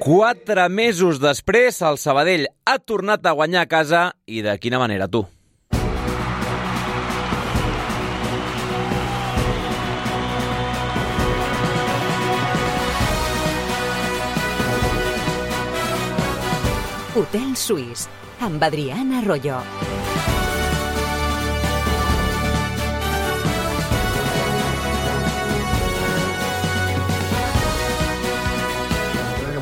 4 mesos després, el Sabadell ha tornat a guanyar a casa i de quina manera, tu? Hotel Suís, amb Adrián Arroyo.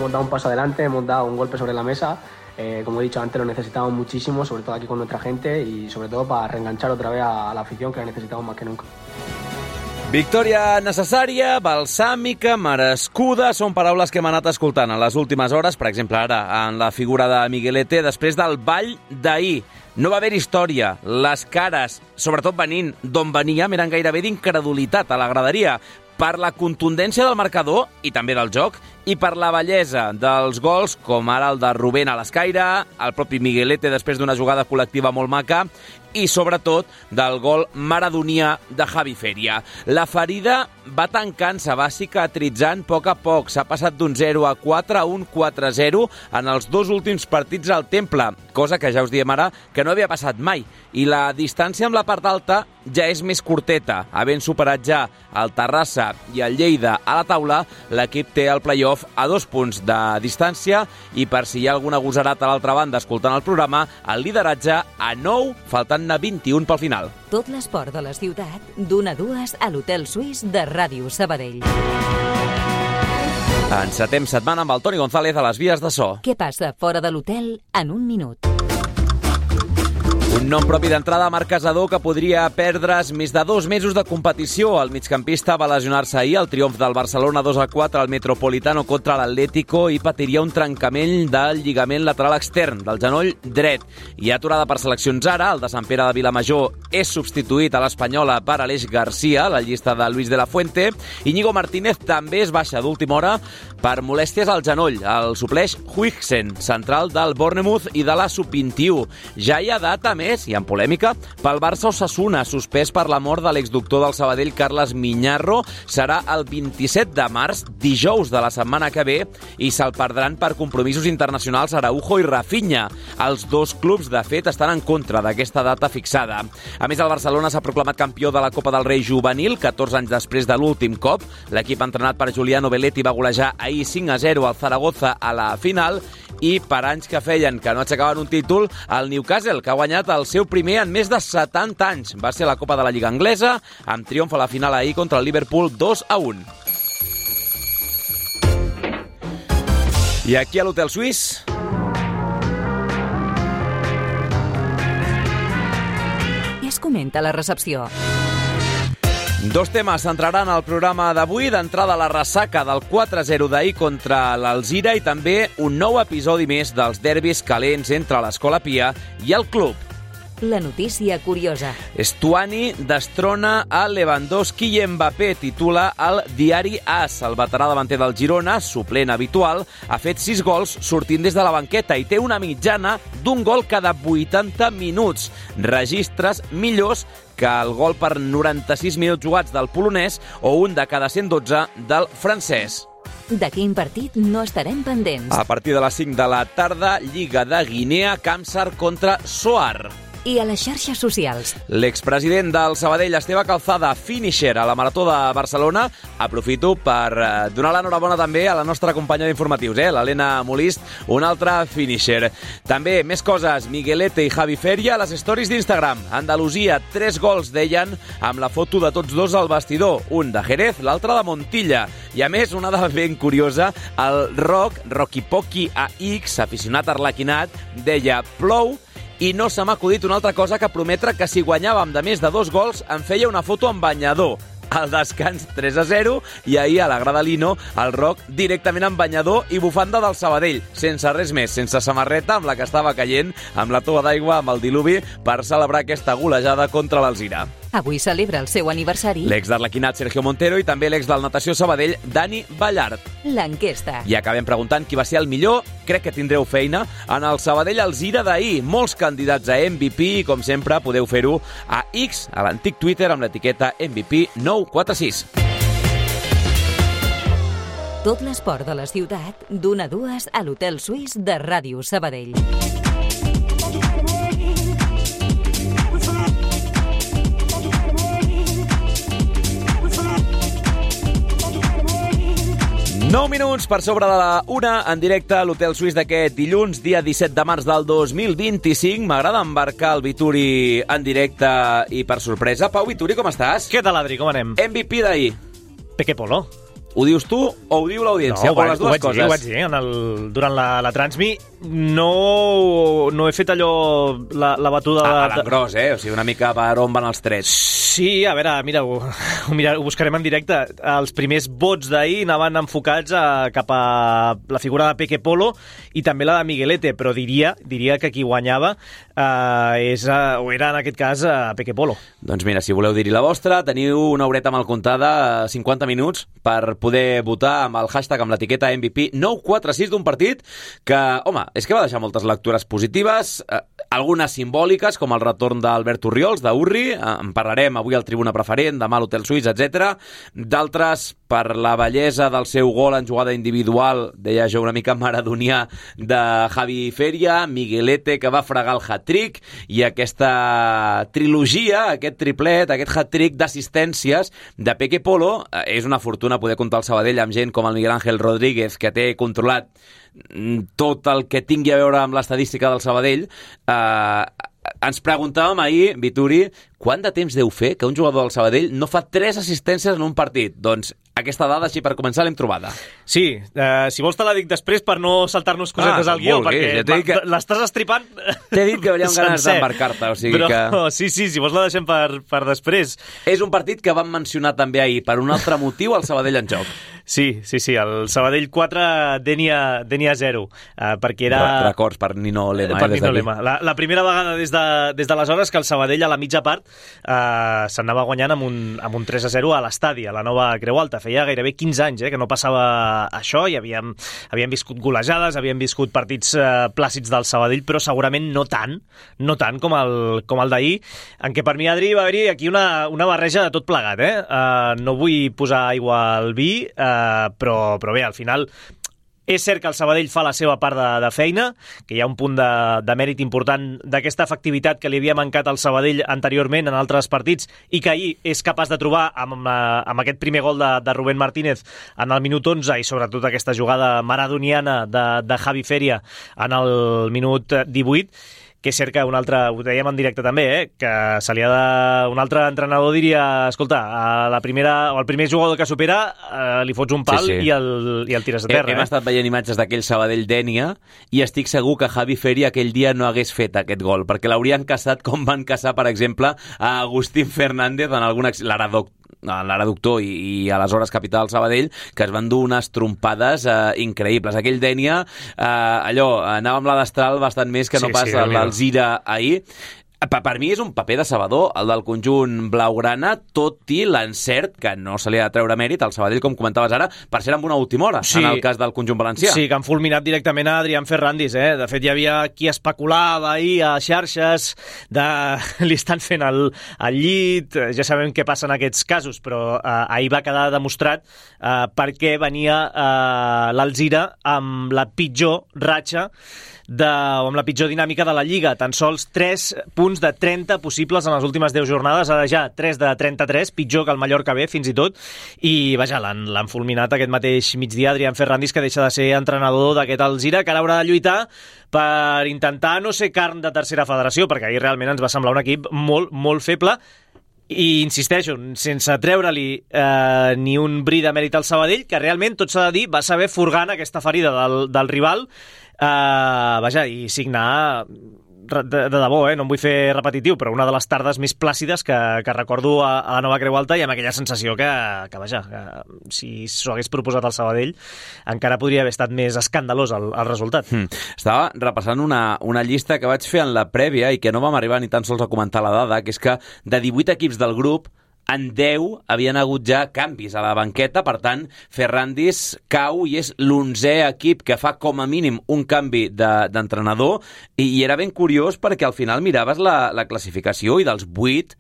Hemos dado un paso adelante, hemos dado un golpe sobre la mesa. Como he dicho antes, lo necesitamos muchísimo, sobre todo aquí con nuestra gente y sobre todo para reenganchar otra vez a la afición, que la necesitamos más que nunca. Victòria necessària, balsàmica, merescuda, són paraules que hem anat escoltant en les últimes hores, per exemple ara en la figura de Miguelete, després del ball d'ahir. No va haver història, les cares, sobretot venint d'on veníem, eren gairebé d'incredulitat a la graderia, per la contundència del marcador i també del joc, i per la bellesa dels gols, com ara el de Rubén a l'escaire, el propi Miguelete després d'una jugada col·lectiva molt maca, i sobretot del gol maradonià de Javi Feria. La ferida va tancant-se, va cicatritzant a poc. S'ha passat d'un 0-4 a un 4-0 en els 2 últims partits al Temple, cosa que ja us diem ara que no havia passat mai. I la distància amb la part alta ja és més curteta. Havent superat ja el Terrassa i el Lleida a la taula, l'equip té el play-off a 2 punts de distància i per si hi ha algun agosarat a l'altra banda escoltant el programa, el lideratge a 9, faltant-ne 21 pel final. Tot l'esport de la ciutat, d'1 a 2 a l'Hotel Suís de Ràdio Sabadell. Encetem setmana amb el Toni González a les vies de so. Què passa fora de l'hotel en un minut? Un nom propi d'entrada, Marc Casador, que podria perdre's més de 2 mesos de competició. El migcampista va lesionar-se ahir al triomf del Barcelona 2-4 al Metropolitano contra l'Atlético i patiria un trencament del lligament lateral extern del genoll dret. I aturada per seleccions ara, el de Sant Pere de Vilamajor és substituït a l'Espanyola per Aleix Garcia, la llista de Luis de la Fuente. Íñigo Martínez també es baixa d'última hora per molèsties al genoll. El supleix Huijsen, central del Bournemouth i de la Sub-21. Ja hi ha data més i en polèmica pel Barça Osasuna, suspès per la mort de l'exdoctor del Sabadell Carles Miñarro. Serà el 27 de març, dijous de la setmana que ve, i se'l perdran per compromisos internacionals Araujo i Rafinha. Els 2 clubs, de fet, estan en contra d'aquesta data fixada. A més, el Barcelona s'ha proclamat campió de la Copa del Rei juvenil, 14 anys després de l'últim cop. L'equip entrenat per Giuliano Belletti va golejar ahir 5-0 al Zaragoza a la final, i per anys que feien que no aixecaven un títol, el Newcastle, que ha guanyat el seu primer en més de 70 anys. Va ser la Copa de la Lliga Anglesa, amb triomf a la final ahir contra el Liverpool 2-1. I aquí a l'Hotel Suís... Què es comenta a la recepció? 2 temes centraran el programa d'avui. D'entrada, la ressaca del 4-0 d'ahir contra l'Alzira i també un nou episodi més dels derbis calents entre l'Escola Pia i el club. La notícia curiosa. Stuani destrona a Lewandowski i Mbappé, titula el diari AS. El veterà davanter del Girona, suplent habitual, ha fet 6 gols sortint des de la banqueta i té una mitjana d'un gol cada 80 minuts. Registres millors que el gol per 96 minuts jugats del polonès o un de cada 112 del francès. De quin partit no estarem pendents? A partir de les 5 de la tarda, Lliga de Guinea, Kamsar contra Soar. I a les xarxes socials. L'expresident del Sabadell, Esteve Calzada, finisher a la Marató de Barcelona. Aprofito per donar l'enhorabona també a la nostra companya d'informatius, l'Helena Molist, un altre finisher. També, més coses, Miguelete i Javi Feria a les stories d'Instagram. Andalusia, 3 gols, deien, amb la foto de tots 2 al vestidor. Un de Jerez, l'altre de Montilla. I a més, una de ben curiosa, el Rocky Pocky AX, aficionat arlequinat, deia: plou, i no se m'ha acudit una altra cosa que prometre que si guanyàvem de més de 2 gols em feia una foto amb banyador. Al descans 3-0 i ahir a la grada Lino el Roc directament amb banyador i bufanda del Sabadell, sense res més, sense samarreta, amb la que estava caient, amb la tova d'aigua, amb el diluvi, per celebrar aquesta golejada contra l'Alzira. Avui celebra el seu aniversari L'ex d'Arlequinat, Sergio Montero, i també l'ex del Natació Sabadell, Dani Ballart. L'enquesta. I acabem preguntant qui va ser el millor. Crec que tindreu feina en el Sabadell Alzira d'ahir. Molts candidats a MVP i, com sempre, podeu fer-ho a X, a l'antic Twitter, amb l'etiqueta MVP946. Tot l'esport de la ciutat, d'1 a 2 a l'Hotel Suís de Ràdio Sabadell. Nou minuts per sobre de la 1 en directe a l'Hotel Suís d'aquest dilluns, dia 17 de març del 2025. M'agrada embarcar el Vituri en directe i per sorpresa. Pau Vituri, com estàs? Què tal, Adri? Com anem? MVP d'ahir. Peque Polo. Ho dius tu o ho diu l'audiència? No, o les dues coses? Ho vaig dir durant la Transmi. No he fet allò, la batuda... A l'engròs, O sigui, una mica per on van els trets. Sí, a veure, mira, ho buscarem en directe. Els primers vots d'ahir anaven enfocats cap a la figura de Peque Polo i també la de Miguelete, però diria que qui guanyava era en aquest cas Peque Polo. Doncs mira, si voleu dir-hi la vostra, teniu una horeta mal comptada, 50 minuts, per poder votar amb el hashtag, amb l'etiqueta MVP 946 d'un partit que, home, és que va deixar moltes lectures positives, algunes simbòliques, com el retorn d'Albert Orriols, d'Urri, en parlarem avui al Tribuna Preferent, demà a l'Hotel Suís, etc. D'altres, per la bellesa del seu gol en jugada individual, deia jo una mica maradonià, de Javi Feria, Miguelete, que va fregar el hat-trick, i aquesta trilogia, aquest triplet, aquest hat-trick d'assistències de Peque Polo. És una fortuna poder comptar el Sabadell amb gent com el Miguel Ángel Rodríguez, que té controlat tot el que tingui a veure amb l'estadística del Sabadell. Ens preguntàvem ahir, Vituri, quant de temps deu fer que un jugador del Sabadell no fa 3 assistències en un partit? Doncs aquesta dada, així per començar, l'hem trobada. Sí, si vols te la dic després per no saltar-nos cosetes al guió, perquè l'estàs estripant. T'he dit que veníem ganes d'embarcar-te, o sigui que... Sí, si vols la deixem per després. És un partit que vam mencionar també ahir, per un altre motiu, el Sabadell en joc. Sí, el Sabadell 4, Denia 0, perquè era... Records per Nino Lema. Per Nino Lema. La primera vegada des d'aleshores que el Sabadell a la mitja part s'anava guanyant amb un 3-0 a l'estadi, a la nova Creu Alta. Feia gairebé 15 anys que no passava això, i havíem viscut golejades, havíem viscut partits plàcids del Sabadell, però segurament no tant com el d'ahir, en què per mi, Adri, va haver-hi aquí una barreja de tot plegat. No vull posar aigua al vi, però bé, al final és cert que el Sabadell fa la seva part de feina, que hi ha un punt de mèrit important d'aquesta efectivitat que li havia mancat al Sabadell anteriorment en altres partits i que ahir és capaç de trobar amb aquest primer gol de Rubén Martínez en el minut 11 i sobretot aquesta jugada maradoniana de Javi Feria en el minut 18, que és cert que ho dèiem en directe també, que se li ha de... Un altre entrenador diria, escolta, el primer jugador que supera li fots un pal i el tires a terra. Hem estat veient imatges d'aquell Sabadell-Dènia i estic segur que Javi Feria aquell dia no hagués fet aquest gol, perquè l'haurien caçat com van caçar, per exemple, a Agustín Fernández en algun l'Araductor i aleshores capità del Sabadell, que es van dur unes trompades increïbles. Aquell Dènia, anava amb la destral bastant més que no pas l'Alzira ahir. Per mi és un paper decebedor el del conjunt blaugrana, tot i l'encert, que no se li ha de treure mèrit al Sabadell, com comentaves ara, per ser amb una última hora, en el cas del conjunt valencià. Sí, que han fulminat directament a Adrián Ferrandis. De fet, hi havia qui especulava ahir a xarxes li estan fent el llit, ja sabem què passa en aquests casos, però ahir va quedar demostrat perquè venia l'Alzira amb la pitjor ratxa amb la pitjor dinàmica de la Lliga. Tan sols 3 punts de 30 possibles en les últimes 10 jornades, ara ja 3 de 33, pitjor que el Mallorca B, fins i tot, i vaja, l'han fulminat aquest mateix migdia Adrián Ferrandis, que deixa de ser entrenador d'aquest Alzira, que ara haurà de lluitar per intentar no ser carn de tercera federació, perquè ahir realment ens va semblar un equip molt, molt feble. I insisteixo, sense treure-li ni un bri de mèrit al Sabadell, que realment, tot s'ha de dir, va saber furgar aquesta ferida del rival, i signar de debò, no em vull fer repetitiu, però una de les tardes més plàcides que recordo a la nova Creu Alta, i amb aquella sensació que si s'ho hagués proposat al Sabadell encara podria haver estat més escandalós el resultat. Estava repassant una llista que vaig fer en la prèvia i que no vam arribar ni tan sols a comentar la dada, que és que de 18 equips del grup, en 10 havien hagut ja canvis a la banqueta, per tant, Ferrandis cau i és l'11è equip que fa com a mínim un canvi d'entrenador, i era ben curiós perquè al final miraves la classificació i dels 8,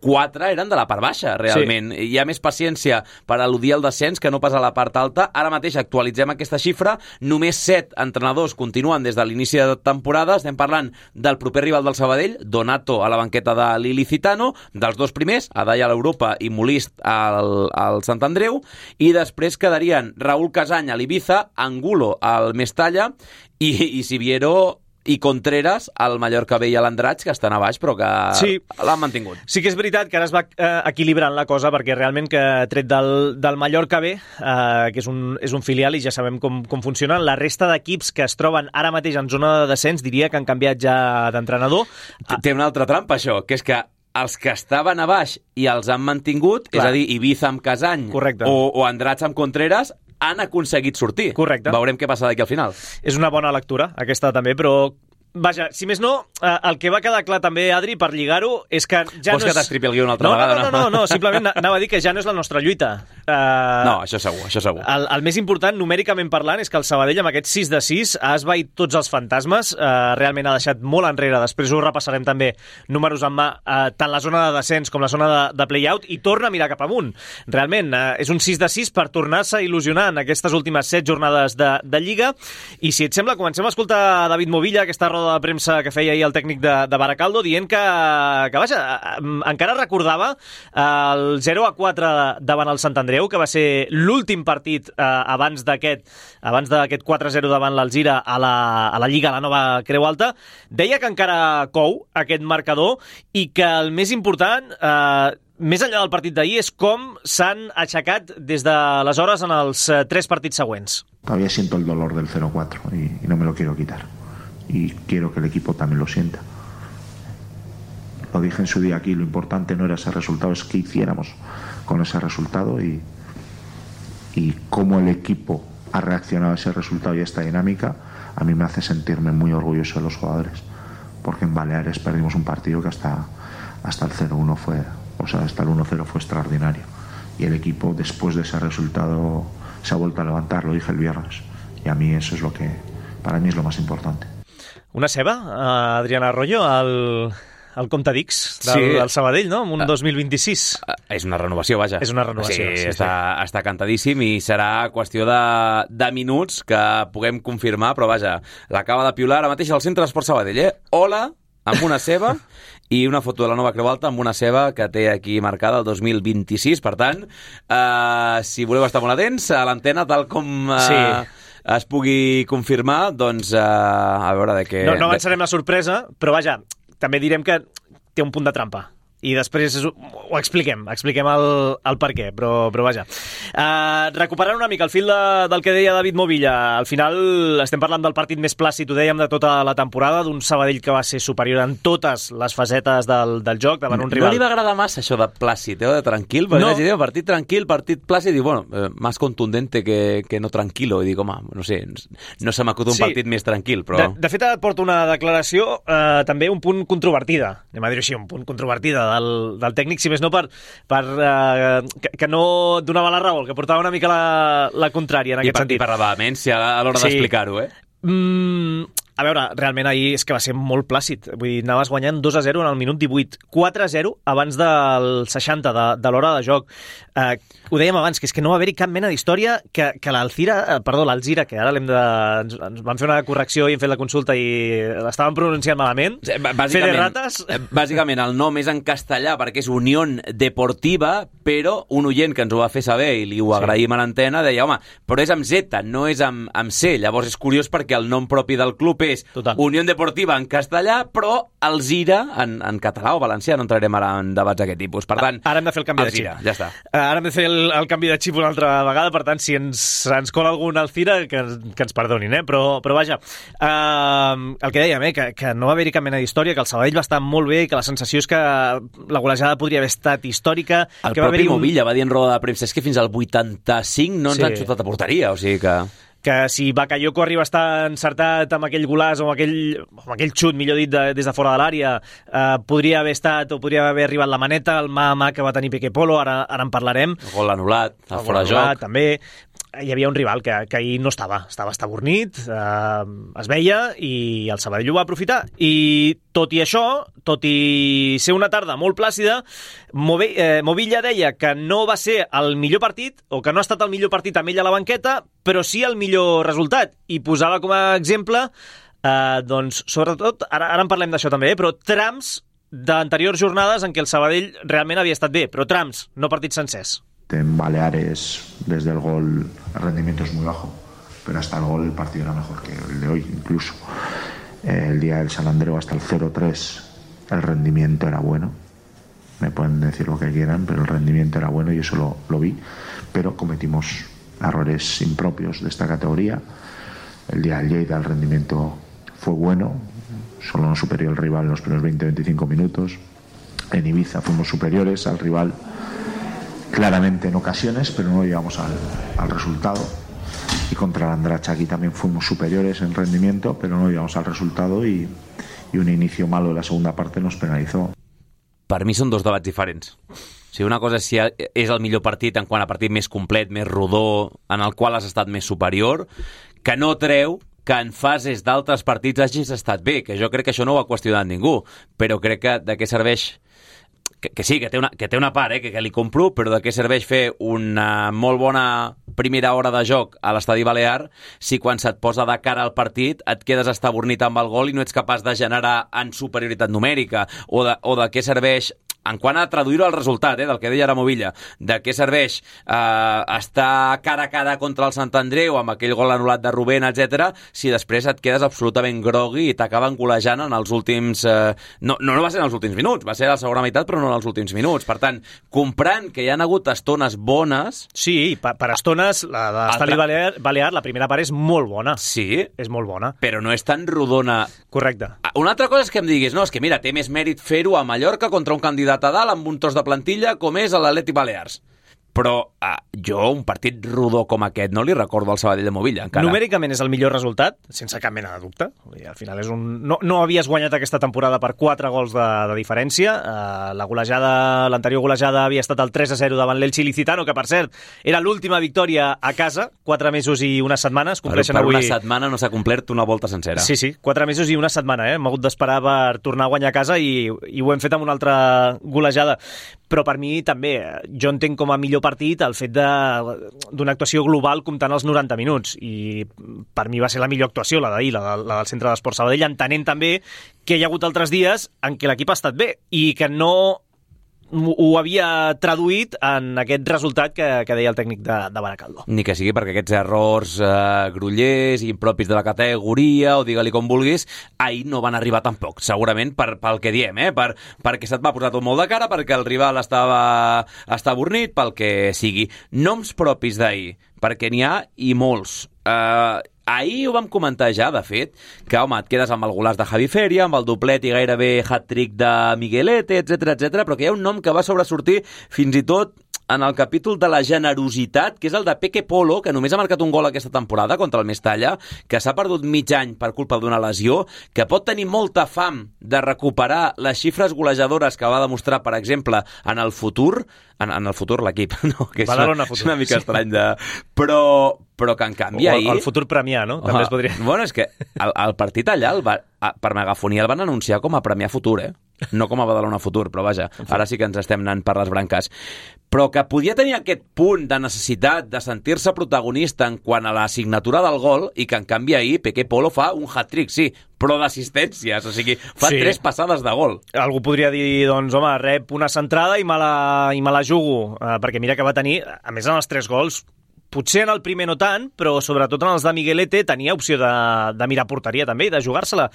4 eren de la part baixa, realment. Sí. Hi ha més paciència per al·ludir el descens que no pas a la part alta. Ara mateix actualitzem aquesta xifra. Només 7 entrenadors continuen des de l'inici de temporada. Estem parlant del proper rival del Sabadell, Donato a la banqueta de l'Ilicitano, dels dos primers, Adai a l'Europa i Molist al Sant Andreu, i després quedarien Raúl Casany a l'Ibiza, Angulo al Mestalla i Siviero i Contreras al Mallorca B i a l'Andratx, que estan a baix però que l'han mantingut. Sí que és veritat que ara es va equilibrant la cosa, perquè realment que tret del Mallorca B, que és un filial i ja sabem com funcionen, la resta d'equips que es troben ara mateix en zona de descens diria que han canviat ja d'entrenador. Té una altra trampa això, que és que els que estaven a baix i els han mantingut, és a dir, Ibiza amb Casany o Andratx amb Contreras, han aconseguit sortir. Correcte. Veurem què passa d'aquí al final. És una bona lectura, aquesta també, però vaja, si més no, el que va quedar clar també, Adri, per lligar-ho, és que ja Vols que t'estripi el guió una altra vegada? No, simplement anava a dir que ja no és la nostra lluita. No, això segur. El més important, numèricament parlant, és que el Sabadell amb aquest 6-6 ha esvaït tots els fantasmes, realment ha deixat molt enrere, després ho repassarem també números en mà, tant la zona de descens com la zona de play-out, i torna a mirar cap amunt. Realment, és un 6-6 per tornar-se a il·lusionar en aquestes últimes 7 jornades de Lliga, i si et sembla, comencem a escoltar David Movilla, aquesta roda de premsa que feia ahir el tècnic de Baracaldo, dient que vaja, encara recordava el 0-4 davant el Sant Andreu, que va ser l'últim partit abans d'aquest 4-0 davant l'Alzira a la Lliga, a la nova Creu Alta. Deia que encara cou aquest marcador i que el més important, més enllà del partit d'ahir, és com s'han aixecat des d'aleshores en els 3 partits següents. Todavía siento el dolor del 0-4 y no me lo quiero quitar. Y quiero que el equipo también lo sienta. Lo dije en su día aquí, lo importante no era ese resultado, es qué hiciéramos con ese resultado y cómo el equipo ha reaccionado a ese resultado y a esta dinámica. A mí me hace sentirme muy orgulloso de los jugadores, porque en Baleares perdimos un partido que hasta el 0-1 fue, o sea, hasta el 1-0 fue extraordinario, y el equipo después de ese resultado se ha vuelto a levantar, lo dije el viernes, y a mí eso es lo que para mí es lo más importante. Una ceba, Adrián Arroyo, al compte d'X del Sabadell, no? En un 2026. És una renovació, vaja. És una renovació. Sí, està cantadíssim i serà qüestió de minuts que puguem confirmar, però vaja, l'acaba de piular ara mateix al Centre d'Esport Sabadell, Hola, amb una ceba i una foto de la nova Creu Alta amb una ceba que té aquí marcada el 2026. Per tant, si voleu estar molt atents a l'antena, tal com es pugui confirmar, doncs a veure de què... No avançarem la sorpresa, però vaja, també direm que té un punt de trampa. I després ho expliquem el per què, però vaja. Recuperant una mica el fil del que deia David Movilla, al final estem parlant del partit més plàcid, ho dèiem, de tota la temporada, d'un Sabadell que va ser superior en totes les facetes del joc davant un rival. No li va agradar massa això de plàcid, de tranquil, perquè no. Partit tranquil, partit plàcid, i bueno, más contundente que no tranquilo, i dic, home, no sé, no se m'acut un partit més tranquil, però... De fet, porta una declaració també un punt controvertida, anem a dir-ho així, un punt controvertida del tècnic, si més no que no donava la raó, que portava una mica la contrària en aquest sentit. I per la vehemència a l'hora d'explicar-ho, A veure, realment ahir és que va ser molt plàcid. Vull dir, anaves guanyant 2-0 en el minut 18, 4-0 abans del 60 de l'hora de joc. Ho dèiem abans, que és que no va haver-hi cap mena d'història que l'Alzira, que ara ens van fer una correcció i hem fet la consulta i l'estàvem pronunciant malament. Bàsicament, el nom és en castellà perquè és Unión Deportiva, però un oient que ens ho va fer saber i li ho agraïm a l'antena deia, home, però és amb Z, no és amb C. Llavors és curiós perquè el nom propi del club és Unión Deportiva en castellà, però Alzira en català o valencià. No entrarem ara en debats d'aquest tipus. Per tant, ara hem de fer el canvi de xip. Ja està. Ara hem de fer el canvi de xip una altra vegada, per tant, si ens cola algun Alzira, que ens perdonin, però vaja, el que dèiem, que no va haver-hi cap mena d'història, que el Sabadell va estar molt bé, que la sensació és que la golejada podria haver estat històrica. El propi Movilla va dir en roda de premsa, és que fins al 85 no ens han xutat a porteria, o sigui que si Bakayoko arriba a estar encertat amb aquell golàs o amb aquell xut, millor dit, des de fora de l'àrea, podria haver estat o podria haver arribat la maneta, el mà que va tenir Peque Polo, ara en parlarem. El gol anul·lat, el fora de joc. També. hi havia un rival que ahir no estava estabornit, es veia, i el Sabadell ho va aprofitar. I tot i això, tot i ser una tarda molt plàcida, Movilla deia que no va ser el millor partit, o que no ha estat el millor partit amb ell a la banqueta, però sí el millor resultat. I posava com a exemple, doncs, sobretot, ara en parlem d'això també, però trams d'anteriors jornades en què el Sabadell realment havia estat bé, però trams, no partits sencers. En Baleares, desde el gol, el rendimiento es muy bajo, pero hasta el gol el partido era mejor que el de hoy incluso. El día del San Andreu hasta el 0-3 el rendimiento era bueno. Me pueden decir lo que quieran, pero el rendimiento era bueno y eso lo vi. Pero cometimos errores impropios de esta categoría. El día del Lleida el rendimiento fue bueno, solo nos superó el rival en los primeros 20-25 minutos. En Ibiza fuimos superiores al rival claramente en ocasiones, pero no llegamos al resultado. Y contra el Andracha aquí también fuimos superiores en rendimiento, pero no llegamos al resultado y un inicio malo de la segunda parte nos penalizó. Per mi són dos debats diferents. O sigui, una cosa és si és el millor partit en quant a partit més complet, més rodó, en el qual has estat més superior, que no treu que en fases d'altres partits hagis estat bé, que jo crec que això no ho ha qüestionat ningú, però crec que de què serveix... Que sí, que té una part, que li compro, però de què serveix fer una molt bona primera hora de joc a l'Estadi Balear si quan se't posa de cara al partit et quedes estabornit amb el gol i no ets capaç de generar en superioritat numèrica, o de què serveix, en quant a traduir-ho al resultat, del que deia ara Movilla, de què serveix estar cara a cara contra el Sant Andreu amb aquell gol anul·lat de Rubén, etc., si després et quedes absolutament grogui i t'acaben golejant en els últims... No va ser en els últims minuts, va ser a la segona meitat, però no en els últims minuts. Per tant, comprant que hi ha hagut estones bones... Sí, per estones, la de l'Estadi Balear, la primera part és molt bona. Sí. És molt bona. Però no és tan rodona. Correcte. Una altra cosa és que em diguis, no, és que mira, té més mèrit fer-ho a Mallorca contra un candidat a dalt amb un tros de plantilla com és l'Atlètic Balears. Però jo un partit rodó com aquest no li recordo al Sabadell de Movilla, encara. Numèricament és el millor resultat, sense cap mena de dubte. Al final és no havies guanyat aquesta temporada per 4 gols de diferència. L'anterior golejada havia estat el 3-0 davant l'Elche Ilicitano, que per cert era l'última victòria a casa, 4 mesos i unes setmanes. Per avui... una setmana no s'ha complert una volta sencera. Sí, 4 mesos i una setmana. Hem hagut d'esperar per tornar a guanyar a casa i ho hem fet amb una altra golejada. Però per mi també, jo entenc com a millor partit el fet d'una actuació global comptant els 90 minuts, i per mi va ser la millor actuació, la d'ahir, la del Centre d'Esports Sabadell, entenent també que hi ha hagut altres dies en què l'equip ha estat bé i que no ho havia traduït en aquest resultat que deia el tècnic de Baracaldo. Ni que sigui perquè aquests errors grollers i impropis de la categoria, o digue-li com vulguis, ahir no van arribar tampoc, segurament pel que diem, perquè se't va posar tot molt de cara, perquè el rival està avornit, pel que sigui. Noms propis d'ahir, perquè n'hi ha i molts. Ahir ho vam comentar ja, de fet, que, home, et quedes amb el golaç de Javi Feria, amb el doblet i gairebé hat-trick de Miguelete, etc, però que hi ha un nom que va sobresortir fins i tot en el capítol de la generositat, que és el de Peque Polo, que només ha marcat un gol aquesta temporada contra el Mestalla, que s'ha perdut mig any per culpa d'una lesió, que pot tenir molta fam de recuperar les xifres golejadores que va demostrar, per exemple, en el futur l'equip, no? Que és una mica estrany de... Però que en canvi ahir... El futur Premià, no? També es podria... Bueno, és que el partit allà, per megafonia, el van anunciar com a Premià Futur, no com a Badalona Futur, però vaja, ara sí que ens estem anant per les branques. Però que podia tenir aquest punt de necessitat de sentir-se protagonista en quant a la signatura del gol, i que en canvi ahir Peque Polo fa un hat-trick, sí, però d'assistències, o sigui, fa 3 passades de gol. Algú podria dir, doncs, home, rep una centrada i me la jugo, perquè mira que va tenir, a més en els 3 gols, potser en el primer no tant, però sobretot en els de Miguelete tenia opció de mirar porteria també i de jugar-se-la,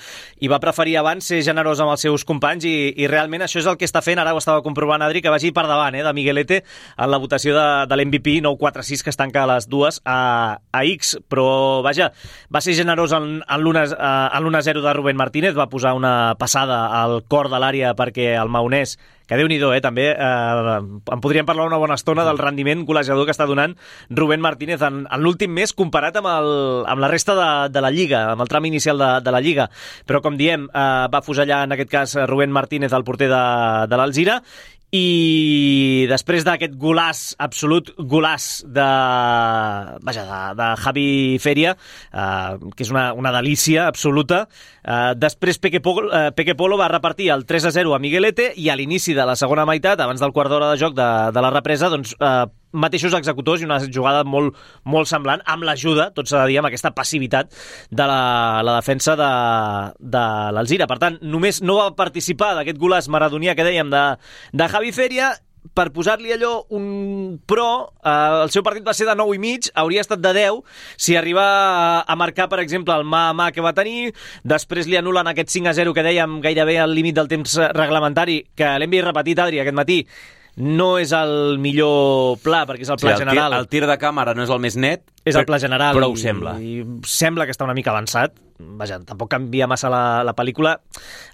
i va preferir abans ser generós amb els seus companys, i realment això és el que està fent. Ara ho estava comprovant Adri, que vagi per davant de Miguelete en la votació de l'MVP 9-4-6, que es tanca a les 2 a X, però vaja, va ser generós en l'1-0 de Rubén Martínez, va posar una passada al cor de l'àrea perquè el maonès, que Déu-n'hi-do, també en podríem parlar una bona estona del rendiment golejador que està donant Rubén Martínez en l'últim mes comparat amb la resta de la Lliga, amb el tram inicial de la Lliga. Però, com diem, va fusellar en aquest cas Rubén Martínez, el porter de l'Alzira, I després d'aquest absolut golàs de Javi Feria, que és una delícia absoluta, després Peque Polo va repartir el 3-0 a Miguelete i a l'inici de la segona meitat, abans del quart d'hora de joc de la represa, doncs mateixos executors i una jugada molt, molt semblant, amb l'ajuda, tot s'ha de dir, amb aquesta passivitat de la defensa de l'Alzira. Per tant, només no va participar d'aquest golàs maradonià que dèiem de Javi Feria. Per posar-li allò un pro, el seu partit va ser de 9,5, hauria estat de 10 si arriba a marcar, per exemple, el mà que va tenir, després li anulen aquest 5-0 que dèiem gairebé al límit del temps reglamentari, que l'hem vist repetit, Adri, aquest matí. No és el millor pla, perquè és el pla general. El tir de càmera no és el més net, és el pla general, però ho sembla. I sembla que està una mica avançat. Vaja, tampoc canvia massa la pel·lícula.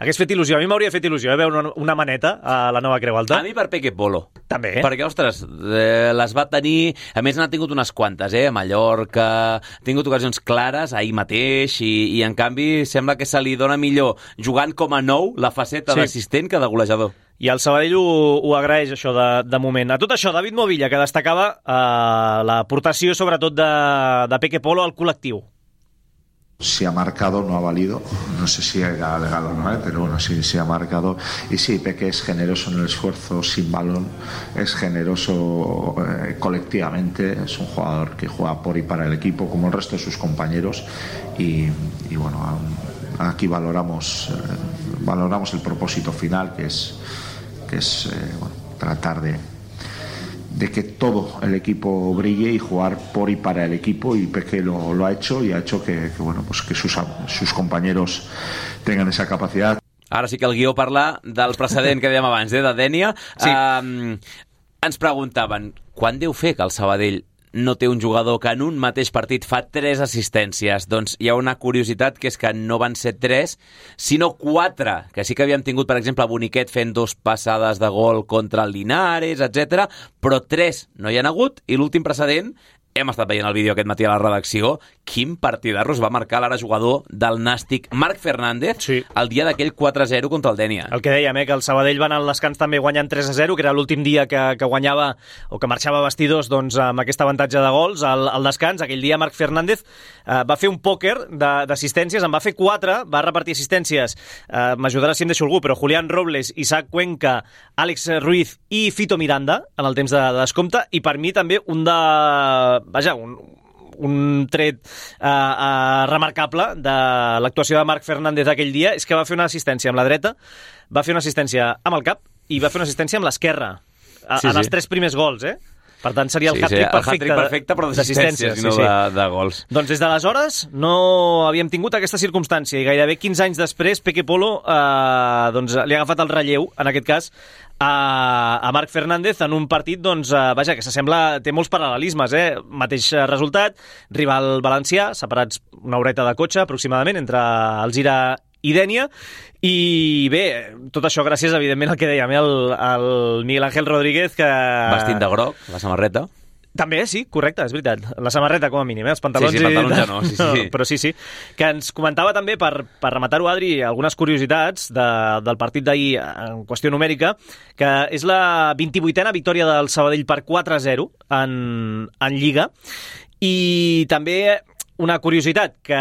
Hagués fet il·lusió, a mi m'hauria fet il·lusió veure una maneta a la nova Creu Alta. A mi per Peque Polo. També. Perquè, ostres, les va tenir... A més, n'ha tingut unes quantes, a Mallorca, ha tingut ocasions clares ahir mateix i en canvi sembla que se li dona millor jugant com a nou la faceta d'assistent que de golejador. I el Sabadell ho agraeix, això, de moment. A tot això, David Movilla, que destacava l'aportació, sobretot, de Peque Polo al col·lectiu. Si ha marcado, no ha valido, no sé si era legal o no, pero bueno, sí ha marcado. Y sí, Peque es generoso en el esfuerzo sin balón, es generoso colectivamente, es un jugador que juega por y para el equipo como el resto de sus compañeros y bueno, aquí valoramos el propósito final, que es tratar de que todo el equipo brille y jugar por y para el equipo, y Peque lo ha hecho y ha hecho que sus compañeros tengan esa capacidad. Ara sí que el guió parla del precedent que dèiem abans, de Dénia. Sí. Ens preguntaven, quan deu fer que el Sabadell no té un jugador que en un mateix partit fa 3 assistències? Doncs hi ha una curiositat, que és que no van ser 3, sinó 4, que sí que havíem tingut, per exemple, Boniquet fent 2 passades de gol contra el Linares, etc. Però 3 no hi han hagut, i l'últim precedent, hem estat veient el vídeo aquest matí a la redacció, quin partidarro es va marcar l'ara jugador del Nàstic, Marc Fernández, el dia d'aquell 4-0 contra el Dénia. El que dèiem, que el Sabadell va anar al descans també guanyant 3-0, que era l'últim dia que guanyava o que marxava a vestidors amb aquest avantatge de gols al descans. Aquell dia Marc Fernández va fer un pòquer d'assistències, en va fer 4, va repartir assistències, m'ajudarà si em deixo algú, però Julián Robles, Isaac Cuenca, Àlex Ruiz i Fito Miranda en el temps de descompte, i per mi també un tret remarcable de l'actuació de Marc Fernández aquell dia és que va fer una assistència amb la dreta, va fer una assistència amb el cap i va fer una assistència amb l'esquerra en els 3 primers gols, Per tant, seria el hat-trick perfecte, però d'assistències, no de gols. Doncs des d'aleshores no havíem tingut aquesta circumstància i gairebé 15 anys després Peque Polo li ha agafat el relleu, en aquest cas, a Marc Fernández en un partit, que s'assembla, té molts paral·lelismes, mateix resultat, rival valencià, separats una horeta de cotxe aproximadament entre Alzira i Dénia, i bé, tot això gràcies, evidentment, al que dèiem, el Miguel Ángel Rodríguez, que... Vestit de groc, la samarreta. També, sí, correcte, és veritat. La samarreta, com a mínim, els pantalons... Sí, pantalons ja no, sí. Però sí. Que ens comentava també, per rematar-ho, Adri, algunes curiositats del partit d'ahir en qüestió numèrica, que és la 28a victòria del Sabadell per 4-0 en Lliga, i també... Una curiositat, que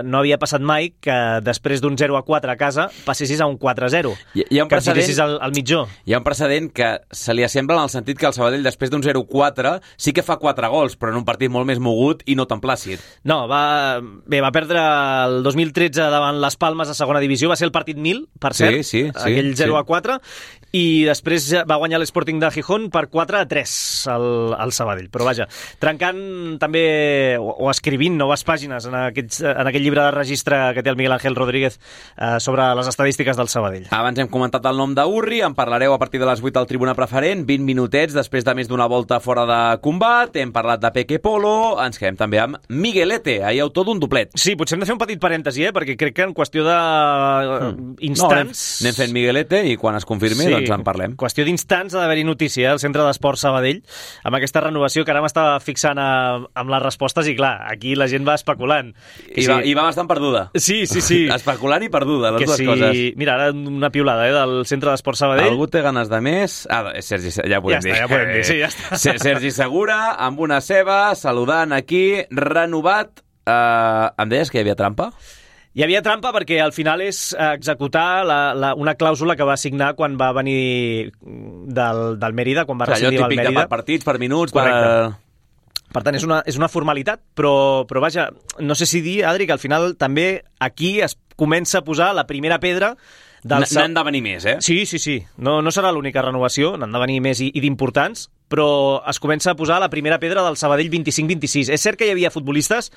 no havia passat mai, que després d'un 0-4 a casa passessis a un 4-0, que et fiquessis al mitjó. Hi ha un precedent que se li assembla en el sentit que el Sabadell, després d'un 0-4, sí que fa 4 gols, però en un partit molt més mogut i no tan plàcid. No, va perdre el 2013 davant les Palmes a segona divisió, va ser el partit 1000, per cert, aquell 0-4, i després va guanyar l'Sporting de Gijón per 4-3 al Sabadell. Però vaja, trencant també, o escrivint noves pàgines en aquest llibre de registre que té el Miguel Ángel Rodríguez sobre les estadístiques del Sabadell. Abans hem comentat el nom d'Urri, en parlareu a partir de les 8 al Tribuna Preferent, 20 minutets després de més d'una volta fora de combat, hem parlat de Peque Polo, ens quedem també amb Miguelete, ahir autor d'un doblet. Sí, potser hem de fer un petit parèntesi, perquè crec que en qüestió d'instants... Anem fent Miguelete i quan es confirmi doncs en parlem. Qüestió d'instants ha d'haver-hi notícia al Centre d'Esport Sabadell amb aquesta renovació que ara m'estava fixant amb les respostes i clar, aquí la gent gent va especulant. I va bastant perduda. Sí. Especulant i perduda, les dues coses. Mira, ara una piulada del Centre d'Esport Sabadell. Algú té ganes de més? Sergi, ja ho podem dir. Ja podem dir, sí, ja està. Sergi Segura, amb una ceba, saludant aquí, renovat. Em deies que hi havia trampa? Hi havia trampa perquè al final és executar una clàusula que va signar quan va venir del Mérida, quan va rescindir el Mérida. Allò típic per partits, per minuts... Per tant, és una formalitat, però vaja, no sé si dir, Adri, que al final també aquí es comença a posar la primera pedra N'han de venir més, eh? Sí. No serà l'única renovació, n'han de venir més i d'importants, però es comença a posar la primera pedra del Sabadell 25-26. És cert que hi havia futbolistes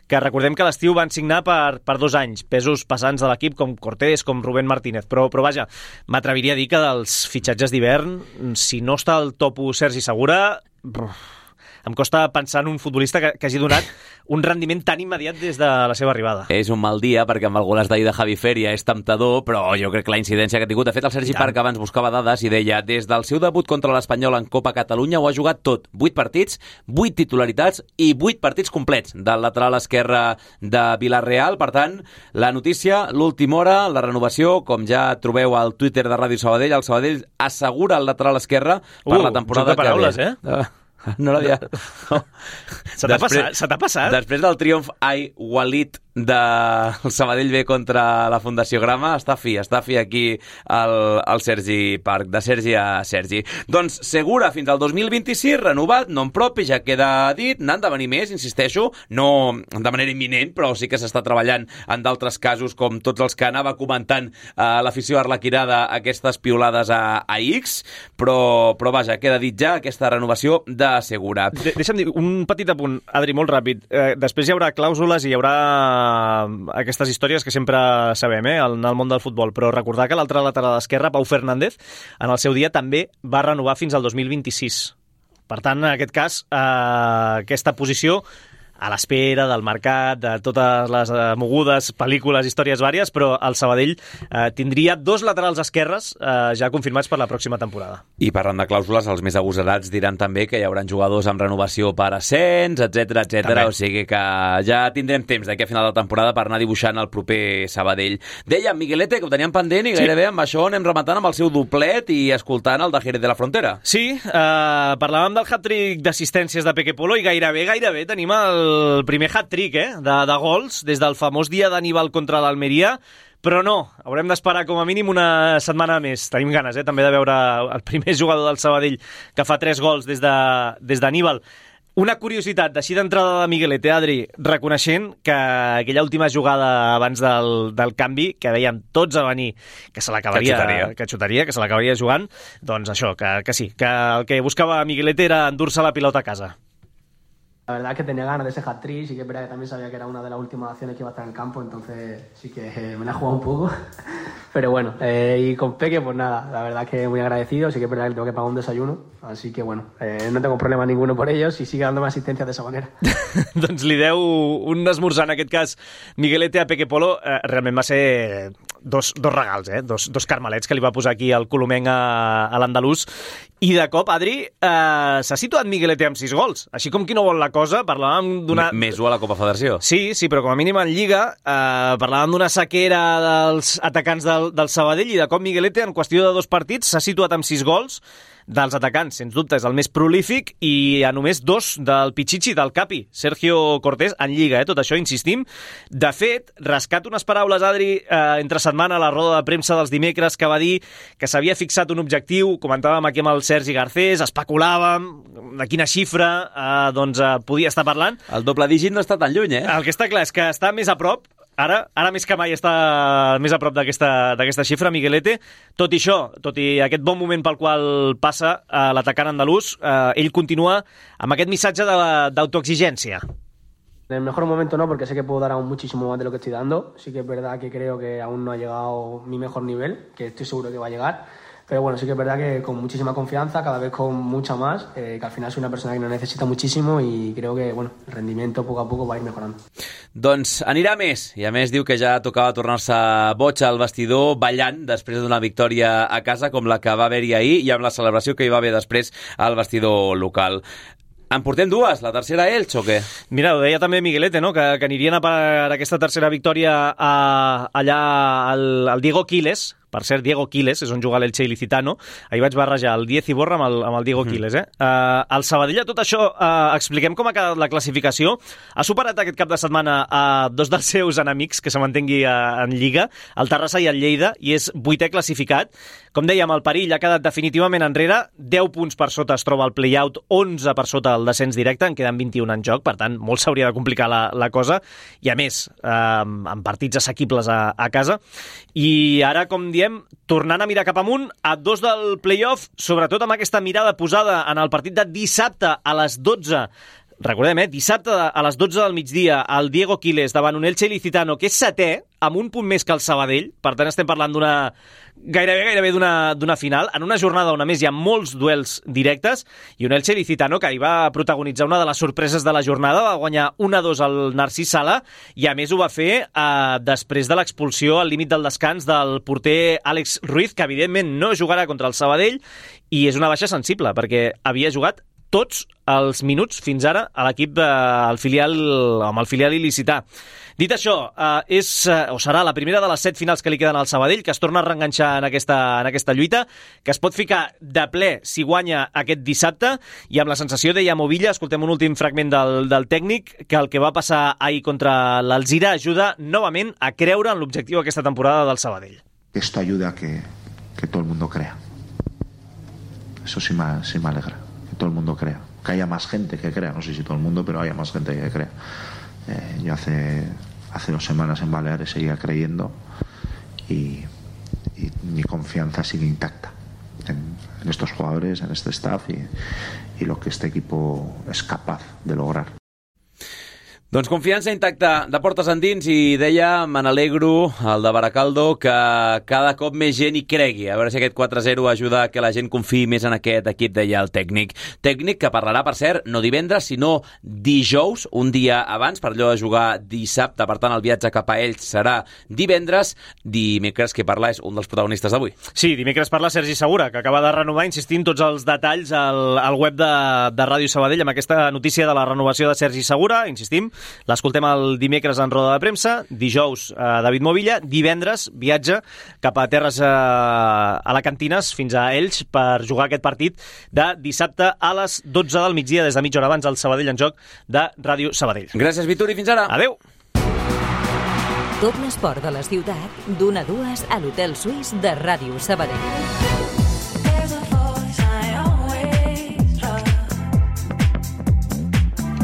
que recordem que a l'estiu van signar per 2 anys, pesos pesants de l'equip com Cortés, com Rubén Martínez, però vaja, m'atreviria a dir que dels fitxatges d'hivern, si no està al top 1 Sergi Segura... Em costa pensar en un futbolista que hagi donat un rendiment tan immediat des de la seva arribada. És un mal dia, perquè amb el golaç d'ahir de Javi Feria és temptador, però jo crec que la incidència que ha tingut... De fet, el Sergi Parc abans buscava dades i deia des del seu debut contra l'Espanyol en Copa Catalunya ho ha jugat tot. 8 partits, 8 titularitats i 8 partits complets del lateral esquerre de Villarreal. Per tant, la notícia, l'última hora, la renovació, com ja trobeu al Twitter de Ràdio Sabadell, el Sabadell assegura el lateral esquerre per la temporada que ve. Paraules, No l'havia... No. Se t'ha passat? Després del triomf Walid del Sabadell B contra la Fundació Grama, està fi aquí el Sergi Parc, de Sergi a Sergi. Doncs Segura fins al 2026, renovat, non propi, ja queda dit, n'han de venir més, insisteixo, no de manera imminent, però sí que s'està treballant en d'altres casos, com tots els que anava comentant l'afició arlequinada, aquestes piolades a X, però vaja, queda dit ja aquesta renovació de Segura. Deixa'm dir un petit apunt, Adri, molt ràpid. Després hi haurà clàusules i hi haurà aquestes històries que sempre sabem en el món del futbol, però recordar que l'altre lateral esquerre, Pau Fernández, en el seu dia també va renovar fins al 2026. Per tant, en aquest cas, aquesta posició a l'espera del mercat, de totes les mogudes, pel·lícules, històries vàries, però el Sabadell tindria 2 laterals esquerres ja confirmats per la pròxima temporada. I parlant de clàusules, els més agosarats diran també que hi haurà jugadors amb renovació per ascens, etc. O sigui que ja tindrem temps d'aquí a final de temporada per anar dibuixant el proper Sabadell. Dèiem, Miguelete, que ho teníem pendent i gairebé amb això anem rematant amb el seu doblet i escoltant el de Jerez de la Frontera. Sí, parlàvem del hat-trick d'assistències de Peque Polo i gairebé tenim el primer hat-trick de gols des del famós dia d'Aníbal contra l'Almeria, però no, haurem d'esperar com a mínim una setmana més. Tenim ganes també de veure el primer jugador del Sabadell que fa 3 gols des d'Aníbal. Una curiositat, així d'entrada de Miguelete, Adri, reconeixent que aquella última jugada abans del canvi, que dèiem tots a venir, que se l'acabaria, que xutaria, que se l'acabaria jugant, doncs això, que sí, que el que buscava Miguelete era endur-se la pilota a casa. La verdad es que tenía ganas de ese hat-trick, sí que es verdad que también sabía que era una de las últimas acciones que iba a estar en el campo, entonces sí que me la he jugado un poco, pero bueno, y con Peque pues nada, la verdad es que muy agradecido, sí que es verdad que tengo que pagar un desayuno, así que bueno, no tengo problema ninguno por ellos y sigue dándome asistencia de esa manera. Doncs li deu un esmorzar, en aquest cas, Miguelete a Peque Polo, realment va ser dos regals, dos carmelets que li va posar aquí el colomenc a l'andalús, i de cop, Adri, s'ha situat Miguelete amb 6 gols, així com qui no vol la cosa, parlàvem d'una... Més 1 a la Copa Federació. Sí, però com a mínim en Lliga parlàvem d'una sequera dels atacants del Sabadell i de cop Miguelete en qüestió de 2 partits s'ha situat amb 6 gols dels atacants, sens dubte és el més prolífic, i a només 2 del Pichichi, del Capi, Sergio Cortés, en Lliga, tot això, insistim. De fet, rescato unes paraules, Adri, entre setmana a la roda de premsa dels dimecres, que va dir que s'havia fixat un objectiu, comentàvem aquí amb el Sergi Garcés, especulàvem de quina xifra podia estar parlant. El doble dígit no està tan lluny, El que està clar és que està més a prop. Ara més que mai està més a prop d'aquesta xifra, Miguelete. Tot i això, tot i aquest bon moment pel qual passa l'atacant andalús, ell continua amb aquest missatge d'autoexigència. En el mejor momento no, porque sé que puedo dar aún muchísimo más de lo que estoy dando. Sí que es verdad que creo que aún no ha llegado mi mejor nivel, que estoy seguro que va a llegar. Pero bueno, sí que es verdad que con muchísima confianza, cada vez con mucha más, que al final soy una persona que no necesita muchísimo y creo que bueno, el rendimiento poco a poco va a ir mejorando. Doncs anirà més, i a més diu que ja tocava tornar-se boig al vestidor ballant després d'una victòria a casa com la que va haver-hi ahir i amb la celebració que hi va haver després al vestidor local. En portem dues, la tercera Elx o què? Mira, ho deia també Miguelete, no? que anirien a per aquesta tercera victòria allà al Diego Quiles. Per cert, Diego Quiles, és on juga l'Elche Ilicitano. Ahir vaig barrejar el Diez Iborra amb el Diego Quiles. El Sabadell, a tot això, expliquem com ha quedat la classificació. Ha superat aquest cap de setmana a dos dels seus enemics, que se mantengui en Lliga, el Terrassa i el Lleida, i és 8è classificat. Com dèiem, el perill ha quedat definitivament enrere. 10 punts per sota es troba el play-out, 11 per sota el descens directe, en queden 21 en joc, per tant, molt s'hauria de complicar la cosa, i a més, amb partits assequibles a casa. I ara, com diem, tornant a mirar cap amunt, a 2 del play-off, sobretot amb aquesta mirada posada en el partit de dissabte a les 12. Recordem, dissabte a les 12 del migdia, el Diego Quiles davant un Elche Ilicitano, que és 7è, amb un punt més que el Sabadell. Per tant, estem parlant gairebé d'una final, en una jornada on a més hi ha molts duels directes, i un Elche Ilicitano que ahir va protagonitzar una de les sorpreses de la jornada, va guanyar 1-2 al Narcís Sala, i a més ho va fer després de l'expulsió al límit del descans del porter Àlex Ruiz, que evidentment no jugarà contra el Sabadell, i és una baixa sensible, perquè havia jugat tots els minuts fins ara a l'equip amb el filial il·licità. Dit això, serà la primera de les 7 finals que li queden al Sabadell, que es torna a reenganxar en aquesta lluita, que es pot ficar de ple si guanya aquest dissabte, i amb la sensació, deia Movilla, escoltem un últim fragment del tècnic, que el que va passar ahir contra l'Alzira ajuda novament a creure en l'objectiu aquesta temporada del Sabadell. Esto ayuda a que todo el mundo crea. Eso sí me alegra. Todo el mundo crea, que haya más gente que crea, no sé si todo el mundo, pero haya más gente que crea. Yo hace 2 semanas en Baleares seguía creyendo y mi confianza sigue intacta en estos jugadores, en este staff y lo que este equipo es capaz de lograr. Doncs confiança intacta de portes endins, i deia, me n'alegro, el de Baracaldo, que cada cop més gent hi cregui. A veure si aquest 4-0 ajuda a que la gent confiï més en aquest equip, deia el tècnic. Tècnic que parlarà, per cert, no divendres, sinó dijous, un dia abans, per allò de jugar dissabte. Per tant, el viatge cap a Elx serà divendres. Dimecres, que parla és un dels protagonistes d'avui. Sí, dimecres parla Sergi Segura, que acaba de renovar, insistint tots els detalls al web de Ràdio Sabadell, amb aquesta notícia de la renovació de Sergi Segura, insistim. L'escoltem el dimecres en roda de premsa, dijous David Movilla, divendres viatge cap a terres alacantines fins a Elx per jugar aquest partit de dissabte a les 12 del migdia, des de mitja hora abans, al Sabadell en joc de Ràdio Sabadell. Gràcies, Vituri, fins ara. Adéu. Tot l'esport de la ciutat, d'1 a 2 a l'Hotel Suís de Ràdio Sabadell.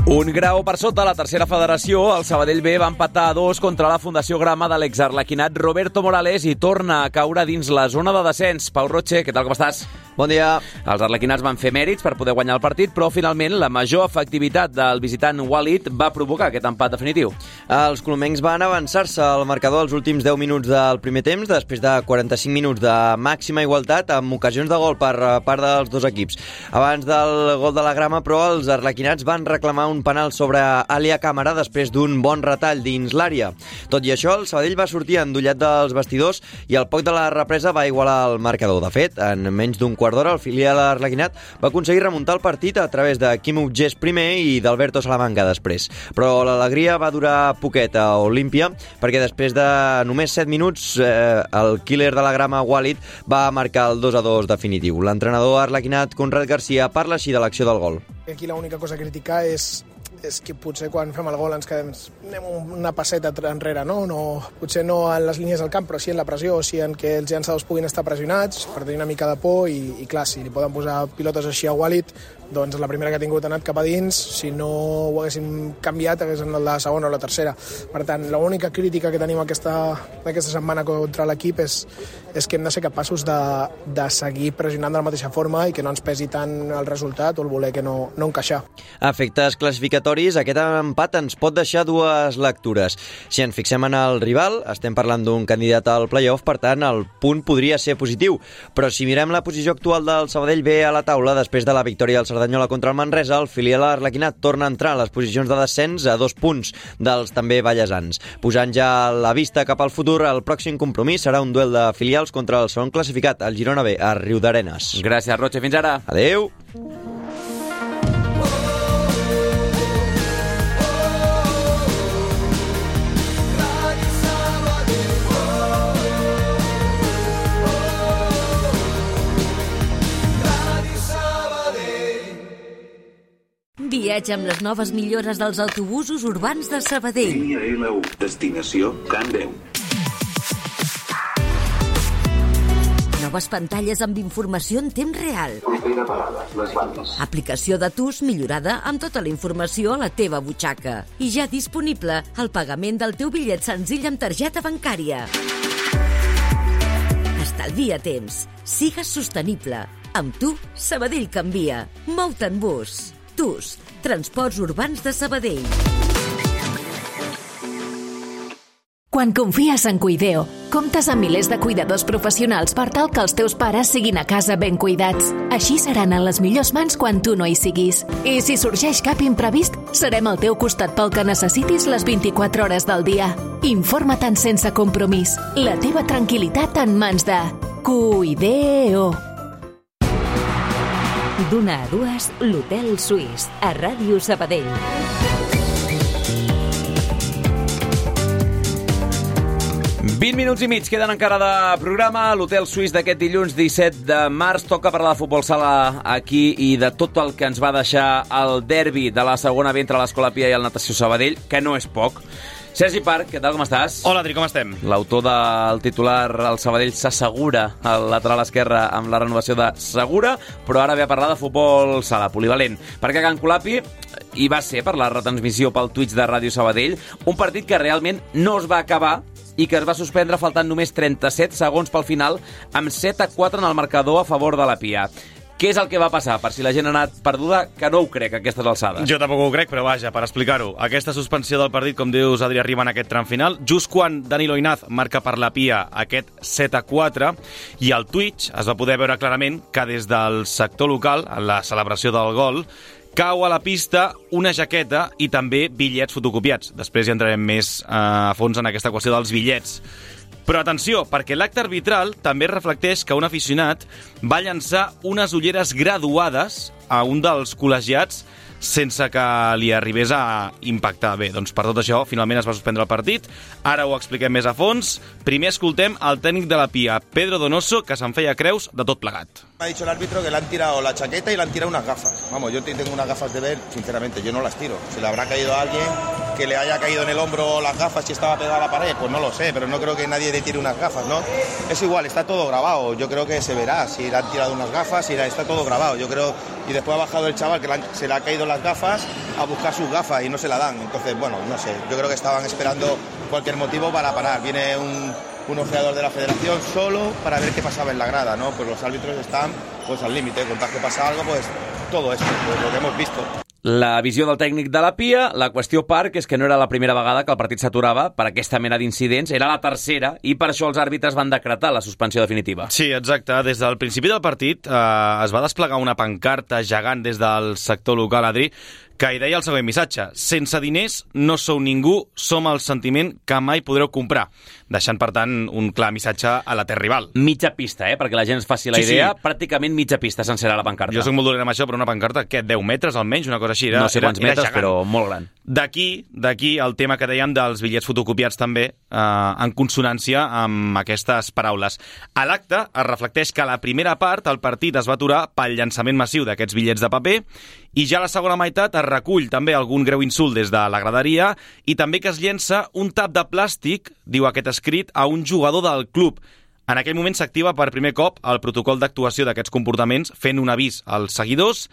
Un grau per sota la tercera federació, el Sabadell B va empatar a 2 contra la Fundació Grama de l'exarlequinat Roberto Morales i torna a caure dins la zona de descens. Pau Roche, què tal, com estàs? Bon dia. Els arlequinats van fer mèrits per poder guanyar el partit, però finalment la major efectivitat del visitant Walid va provocar aquest empat definitiu. Els colomencs van avançar-se al marcador als últims 10 minuts del primer temps, després de 45 minuts de màxima igualtat, amb ocasions de gol per part dels dos equips. Abans del gol de la Grama, però, els arlequinats van reclamar un penal sobre Alia Càmera després d'un bon retall dins l'àrea. Tot i això, el Sabadell va sortir endollat dels vestidors i al poc de la represa va igualar el marcador. De fet, en menys d'un quart d'hora, el filial arlequinat va aconseguir remuntar el partit a través de Quim Utgés primer i d'Alberto Salamanca després. Però l'alegria va durar poquet a Olímpia, perquè després de només 7 minuts el killer de la Grama, Walid, va marcar el 2-2 definitiu. L'entrenador arlequinat, Conrad Garcia, parla així de l'acció del gol. Aquí l'única cosa a criticar és que potser quan fem el gol ens quedem una passeta enrere, no? Potser no en les línies del camp, però sí en la pressió, sí en que els llançadors puguin estar pressionats per tenir una mica de por i clar, si li poden posar pilotes així a Walid, doncs la primera que ha tingut ha anat cap a dins, si no ho haguéssim canviat hagués anat la segona o la tercera. Per tant, l'única crítica que tenim aquesta setmana contra l'equip és que hem de ser capaços de seguir pressionant de la mateixa forma i que no ens pesi tant el resultat o el voler que no encaixar. A efectes classificatoris, aquest empat ens pot deixar dues lectures. Si ens fixem en el rival, estem parlant d'un candidat al play-off, per tant, el punt podria ser positiu. Però si mirem la posició actual del Sabadell B a la taula, després de la victòria del Cerdanyola contra el Manresa, el filial arlequinat torna a entrar a les posicions de descens a 2 punts dels també ballesans. Posant ja la vista cap al futur, el pròxim compromís serà un duel de filials contra el segon classificat, el Girona B, a Riudarenes. Gràcies, Roche. Fins ara. Adéu. viatge amb les noves millores dels autobusos urbans de Sabadell. Línia L1, destinació Can Déu. Noves pantalles amb informació en temps real. Propera parada, les bandes. Aplicació de TUS millorada amb tota la informació a la teva butxaca. I ja disponible el pagament del teu bitllet senzill amb targeta bancària. Estalvia temps. Sigues sostenible. Amb tu, Sabadell canvia. Mou-te en bus. TUS, Transports Urbans de Sabadell. Quan confies en Cuideo, comptes amb milers de cuidadors professionals per tal que els teus pares siguin a casa ben cuidats. Així seran en les millors mans quan tu no hi siguis. I si sorgeix cap imprevist, serem al teu costat pel que necessitis les 24 hores del dia. Informa-te'n sense compromís. La teva tranquil·litat en mans de Cuideo. D'una a dues, l'Hotel Suís, a Ràdio Sabadell. Minuts i mig queden encara de programa. L'Hotel Suís d'aquest dilluns 17 de març toca parlar de futbol sala aquí i de tot el que ens va deixar el derbi de la segona B entre l'Escola Pia i el Natació Sabadell, que no és poc. Sergi Parc, què tal, com estàs? Hola, Adri, com estem? L'autor del titular, el Sabadell s'assegura al lateral esquerre amb la renovació de Segura, però ara ve a parlar de futbol sala, polivalent. Perquè a Can Colapi hi va ser per la retransmissió pel Twitch de Ràdio Sabadell, un partit que realment no es va acabar i que es va suspendre faltant només 37 segons pel final, amb 7-4 en el marcador a favor de la Pia. Què és el que va passar? Per si la gent ha anat perduda, que no ho crec, a aquestes alçades. Jo tampoc ho crec, però vaja, per explicar-ho. Aquesta suspensió del partit, com dius, Adri, arriba en aquest tram final, just quan Danilo Inaz marca per la Pia aquest 7-4, i al Twitch es va poder veure clarament que des del sector local, en la celebració del gol, cau a la pista una jaqueta i també bitllets fotocopiats. Després hi entrarem més a fons en aquesta qüestió dels bitllets. Però atenció, perquè l'acte arbitral també reflecteix que un aficionat va llançar unes ulleres graduades a un dels col·legiats sense que li arribés a impactar. Bé, doncs per tot això, finalment es va suspendre el partit. Ara ho expliquem més a fons. Primer escoltem el tècnic de la Pia, Pedro Donoso, que se'n feia creus de tot plegat. Me ha dicho el árbitro que le han tirado la chaqueta y le han tirado unas gafas. Vamos, yo tengo unas gafas de ver, sinceramente, yo no las tiro. Se le habrá caído a alguien que le haya caído en el hombro las gafas si estaba pegada a la pared, pues no lo sé, pero no creo que nadie le tire unas gafas, ¿no? Es igual, está todo grabado, yo creo que se verá si le han tirado unas gafas, está todo grabado, yo creo, y después ha bajado el chaval que se le ha caído las gafas a buscar sus gafas y no se la dan, entonces, bueno, no sé, yo creo que estaban esperando cualquier motivo para parar, viene un ojeador de la federación solo para ver qué pasaba en la grada, ¿no? Pues los árbitros están pues al límite, con tal que pasa algo, pues todo esto, pues lo que hemos visto. La visió del tècnic de la Pia, la qüestió, Parc, és que no era la primera vegada que el partit s'aturava per aquesta mena d'incidents, era la tercera, i per això els àrbitres van decretar la suspensió definitiva. Sí, exacte. Des del principi del partit es va desplegar una pancarta gegant des del sector local, Adri, que hi deia el següent missatge: sense diners no sou ningú, som el sentiment que mai podreu comprar, deixant, per tant, un clar missatge a la terra rival. Mitja pista, perquè la gent es faci la idea, sí. Pràcticament mitja pista sencera la pancarta. Jo soc molt dolent amb això, però una pancarta, què, 10 metres almenys, una cosa així, no sé quants metres, gegant. Però molt gran. D'aquí el tema que dèiem dels bitllets fotocopiats també, en consonància amb aquestes paraules. A l'acte es reflecteix que a la primera part el partit es va aturar pel llançament massiu d'aquests bitllets de paper, i ja a la segona meitat es recull també algun greu insult des de la graderia i també que es llença un tap de plàstic, diu aquest escrit, a un jugador del club. En aquell moment s'activa per primer cop el protocol d'actuació d'aquests comportaments, fent un avís als seguidors.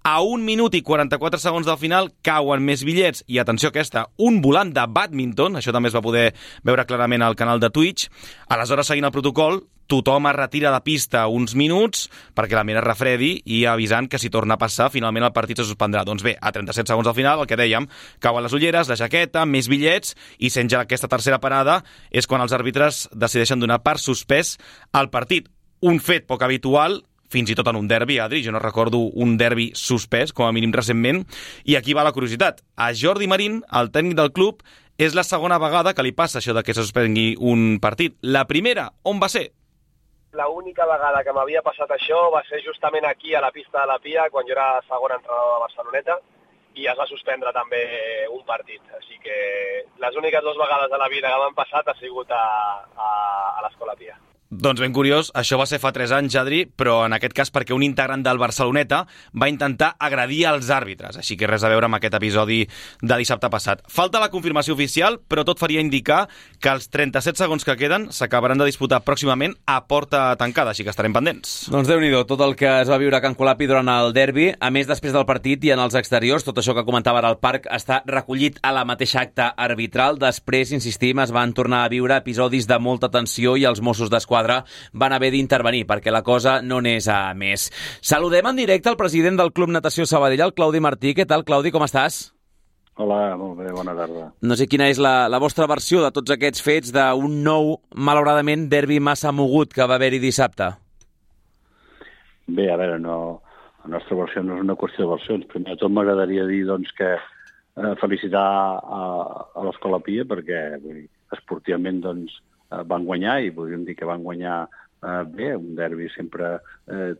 A 1 minut i 44 segons del final cauen més bitllets i, atenció aquesta, un volant de bàdminton, això també es va poder veure clarament al canal de Twitch. Aleshores, seguint el protocol, tothom es retira de pista uns minuts perquè la mira refredi i avisant que si torna a passar, finalment el partit se suspendrà. Doncs bé, a 37 segons del final, el que dèiem, cauen les ulleres, la jaqueta, més bitllets, i sent ja aquesta tercera parada és quan els àrbitres decideixen donar per suspès al partit. Un fet poc habitual, fins i tot en un derbi, Adri, jo no recordo un derbi suspès, com a mínim recentment, i aquí va la curiositat. A Jordi Marín, el tècnic del club, és la segona vegada que li passa això de que se suspengui un partit. La primera, on va ser? La única vegada que m'havia passat això va ser justament aquí, a la pista de la Pia, quan jo era segon entrenador de Barceloneta, i es va suspendre també un partit. Així que les úniques 2 vegades de la vida que m'han passat ha sigut a l'Escola Pia. Doncs ben curiós, això va ser fa 3 anys, Adri, però en aquest cas perquè un integrant del Barceloneta va intentar agredir els àrbitres, així que res a veure amb aquest episodi de dissabte passat. Falta la confirmació oficial, però tot faria indicar que els 37 segons que queden s'acabaran de disputar pròximament a porta tancada, així que estarem pendents. Doncs Déu-n'hi-do, tot el que es va viure a Can Colapi durant el derbi, a més després del partit i en els exteriors, tot això que comentava ara al parc està recollit a la mateixa acta arbitral. Després, insistim, es van tornar a viure episodis de molta tensió i els Mossos d'Esquadra van haver d'intervenir perquè la cosa no n'és a més. Saludem en directe el president del Club Natació Sabadell, el Claudi Martí. Què tal, Claudi, com estàs? Hola, molt bé, bona tarda. No sé quina és la vostra versió de tots aquests fets d'un nou, malauradament, derbi massa mogut que va haver-hi dissabte. Bé, a veure, la nostra versió no és una qüestió de versions. Primer de tot m'agradaria dir doncs, que felicitar a l'Escola Pia perquè esportivament doncs, van guanyar i podríem dir que van guanyar bé. Un derbi sempre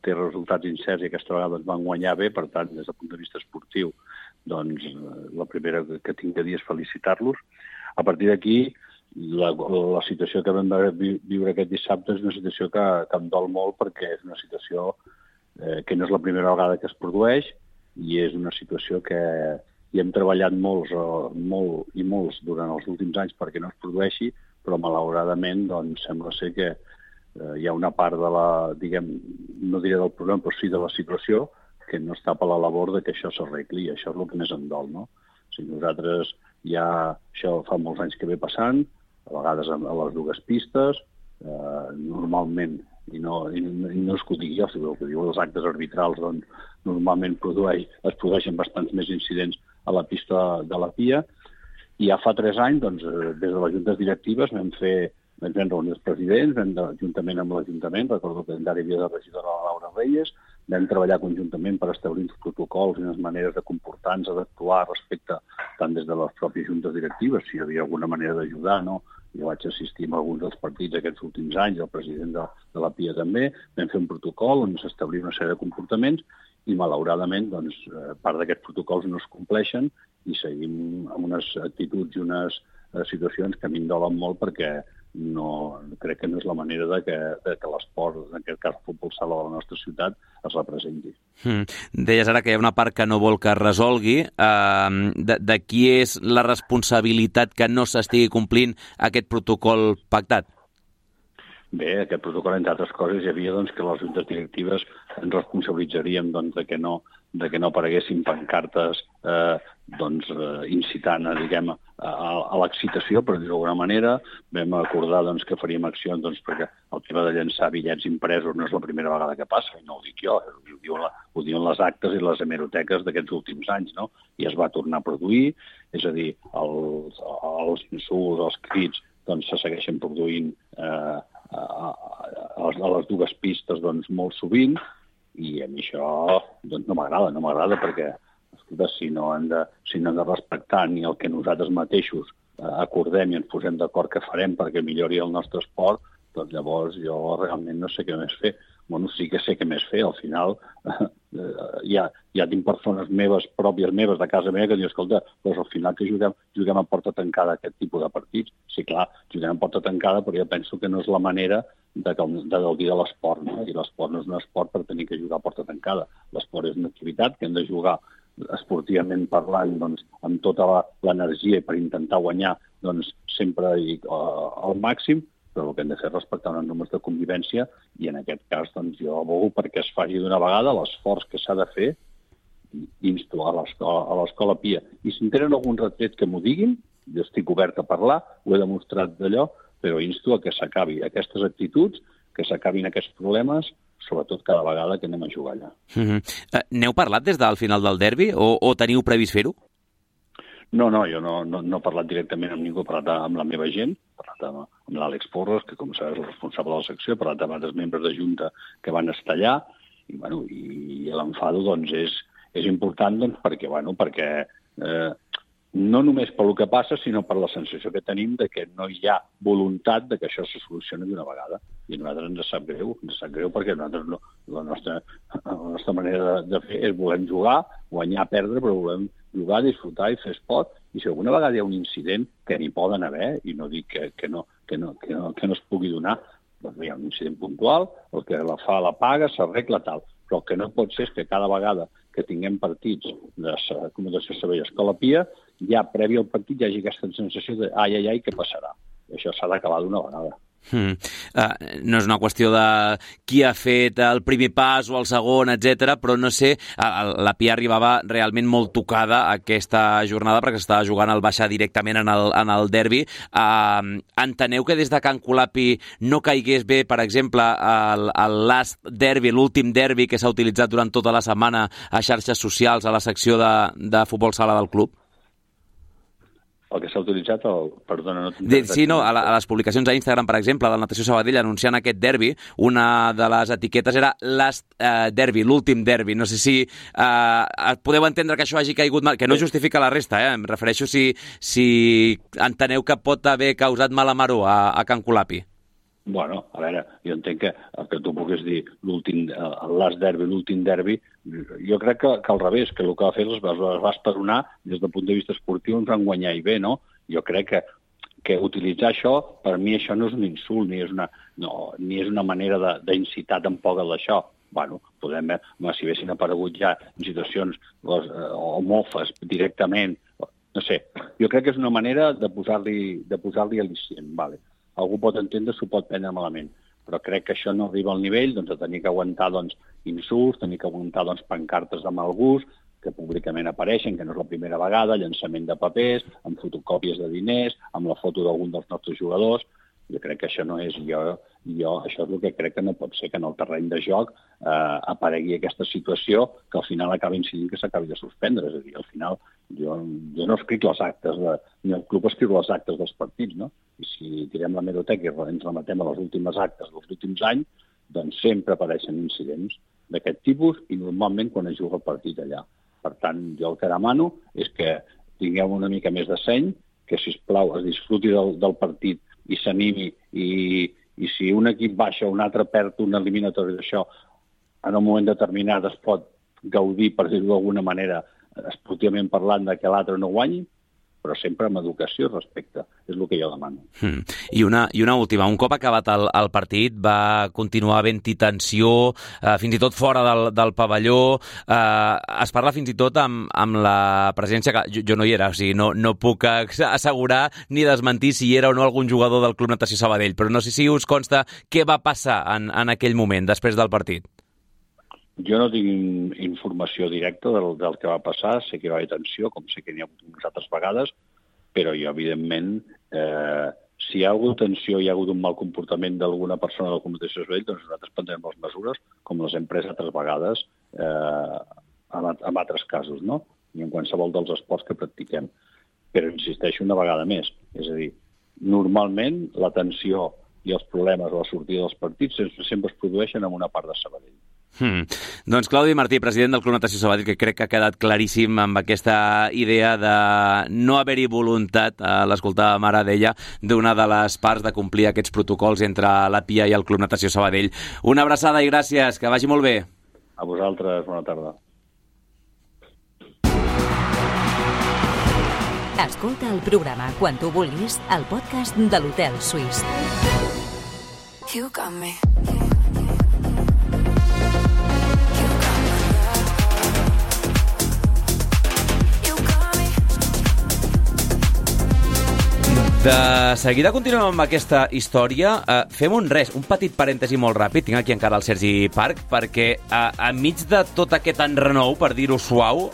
té resultats incerts i aquesta vegada van guanyar bé, per tant, des del punt de vista esportiu, doncs la primera que tinc de dir és felicitar-los. A partir d'aquí, la situació que vam viure aquest dissabte és una situació que em dol molt perquè és una situació que no és la primera vegada que es produeix i és una situació que hi hem treballat molts durant els últims anys perquè no es produeixi, però malauradament doncs, sembla ser que hi ha una part de la, diguem, no diré del problema, però sí de la situació, que no està per la labor de que això s'arregli. Això és el que més em dol, no? O sigui, nosaltres ja, això fa molts anys que ve passant, a vegades a les dues pistes, normalment, i no és que ho digui jo, sinó que diu els actes arbitrals, doncs, normalment es produeixen bastants més incidents a la pista de la Pia. I ja fa 3 anys, doncs, des de les juntes directives vam reunir els presidents, juntament amb l'Ajuntament, recordo que encara hi havia de regidora la Laura Reyes, vam treballar conjuntament per establir uns protocols i unes maneres de comportar-nos, d'actuar respecte tant des de les pròpies juntes directives, si hi havia alguna manera d'ajudar, no? Jo vaig assistir a alguns dels partits aquests últims anys, el president de la Pia també, vam fer un protocol on s'establia una sèrie de comportaments i malauradament doncs, part d'aquests protocols no es compleixen i seguim amb unes actituds i unes situacions que a mi em dolen molt perquè crec que no és la manera de que l'esport, en aquest cas el futbol sala de la nostra ciutat, es representi. Deies ara que hi ha una part que no vol que es resolgui. De qui és la responsabilitat que no s'estigui complint aquest protocol pactat? Bé, aquest protocol, entre altres coses, hi havia doncs, que les juntes directives ens responsabilitzaríem doncs, de que no apareguessin pancartes incitant a l'excitació, per dir-ho d'alguna manera. Vam acordar doncs, que faríem accions perquè el tema de llançar bitllets impresos no és la primera vegada que passa, i no ho dic jo, ho diuen les actes i les hemeroteques d'aquests últims anys, no? I es va tornar a produir, és a dir, els insults, els crits, doncs se segueixen produint a les dues pistes doncs, molt sovint, i a mi això doncs, no m'agrada perquè escolta, si no han de respectar ni el que nosaltres mateixos acordem i ens posem d'acord que farem perquè millori el nostre esport, doncs llavors jo realment no sé què més fer. Bueno, sí que sé què més fer. Al final ja tinc persones pròpies meves de casa meva que diuen, escolta, doncs al final que juguem a porta tancada aquest tipus de partits. Sí, clar, juguem a porta tancada, però jo penso que no és la manera de gaudir de l'esport, no? I l'esport no és un esport per tenir que jugar a porta tancada. L'esport és una activitat que hem de jugar esportivament parlant doncs, amb tota l'energia per intentar guanyar doncs, sempre al màxim, però el que hem de fer és respectar uns números de convivència i en aquest cas doncs, jo abogo perquè es faci d'una vegada l'esforç que s'ha de fer i insto a l'Escola Pia. I si en tenen algun retret que m'ho diguin, jo estic obert a parlar, ho he demostrat d'allò, però insto a que s'acabi aquestes actituds, que s'acabin aquests problemes, sobretot cada vegada que anem a jugar allà. N'heu parlat des del final del derbi o teniu previst fer-ho? No, jo no he parlat directament amb ningú, he parlat amb la meva gent, he parlat amb l'Àlex Porres, que com sabeu és el responsable de la secció, he parlat amb altres membres de Junta que van estar allà, i l'enfado doncs, és important doncs, perquè no només pel que passa, sinó per la sensació que tenim de que no hi ha voluntat de que això se solucioni d'una vegada. I a nosaltres ens sap greu perquè nosaltres la nostra manera de fer és volem jugar, guanyar, perdre, però volem jugar, disfrutar i fer esport. I si alguna vegada hi ha un incident que n'hi poden haver, i no dic que no es pugui donar, doncs un incident puntual, el que la fa la paga, s'arregla tal. Però el que no pot ser és que cada vegada que tinguem partits de Comunicació Sabadell Escola Pia, ja previ al partit hi hagi aquesta sensació de ai, què passarà? I això s'ha d'acabar d'una vegada. No és una qüestió de qui ha fet el primer pas o el segon, etc, però no sé, la Pia arribava realment molt tocada aquesta jornada perquè s'estava jugant el baixar directament en el derbi. Enteneu que des de Can Colapi no caigués bé, per exemple, el last derbi, l'últim derbi que s'ha utilitzat durant tota la setmana a xarxes socials, a la secció de futbol sala del club? El que s'ha utilitzat, perdona, no, a les publicacions a Instagram, per exemple, del Natació Sabadell anunciant aquest derbi, una de les etiquetes era last derbi, l'últim derbi. No sé si podeu entendre que això hagi caigut mal, que no justifica la resta, em refereixo si enteneu que pot haver causat mala maror a Can Colapi. Bueno, a veure, jo entenc que el que tu puguis dir el last derbi, l'últim derbi, jo crec que al revés, que el que va fer es va esperonar des del punt de vista esportiu, ens van guanyar i bé, no? Jo crec que utilitzar això, per mi això no és un insult, ni és una manera d'incitar tampoc a d'això. Bueno, podem veure, si haguessin aparegut ja en situacions o mofes directament, no sé, jo crec que és una manera de posar-li al·licient, vale. Algú pot entendre, s'ho pot prendre malament, però crec que això no arriba al nivell de tenir que aguantar insults, tenir que aguantar pancartes de mal gust, que públicament apareixen, que no és la primera vegada, llançament de papers, amb fotocòpies de diners, amb la foto d'algun dels nostres jugadors. Jo crec que això no és... això és el que crec que no pot ser, que en el terreny de joc aparegui aquesta situació que al final acabi incidint que s'acabi de suspendre. És a dir, al final jo no escric les actes, ni el club escriu les actes dels partits, no? I si tirem l'hemeroteca i ens remetem a les últimes actes dels últims anys, doncs sempre apareixen incidents d'aquest tipus i normalment quan es juga el partit allà. Per tant, jo el que demano és que tingueu una mica més de seny, que, sisplau, es disfruti del partit i s'animi, i si un equip baixa o un altre perd una eliminatòria d'això, en un moment determinat es pot gaudir, per dir-ho d'alguna manera, esportivament parlant, que l'altre no guanyi, però sempre amb educació i respecte. És el que jo demano. I una última. Un cop acabat el partit va continuar havent-hi tensió, fins i tot fora del pavelló. Es parla fins i tot amb la presència, que jo no hi era, o sigui, no puc assegurar ni desmentir si hi era o no algun jugador del Club Natació Sabadell, però no sé si us consta què va passar en aquell moment, després del partit. Jo no tinc informació directa del que va passar, sé que hi va haver tensió, com sé que n'hi ha hagut unes altres vegades, però jo, evidentment, si hi ha hagut tensió i hi ha hagut un mal comportament d'alguna persona de la Comunicació Sabadell, doncs nosaltres prendrem les mesures, com les hem pres altres vegades en altres casos, no? I en qualsevol dels esports que practiquem. Però insisteixo una vegada més, és a dir, normalment la tensió i els problemes a la sortida dels partits sempre es produeixen en una part de Sabadell. Doncs Claudi Martí, president del Club Natació Sabadell, que crec que ha quedat claríssim amb aquesta idea de no haver-hi voluntat, l'escoltàvem ara, deia, d'una de les parts de complir aquests protocols entre la Pia i el Club Natació Sabadell. Una abraçada i gràcies, que vagi molt bé. A vosaltres, bona tarda. Escolta el programa quan tu vulguis al podcast de l'Hotel Suís. You got me. De seguida continuem amb aquesta història. Fem un petit parèntesi molt ràpid. Tinc aquí encara el Sergi Parc, perquè enmig de tot aquest enrenou, per dir-ho suau,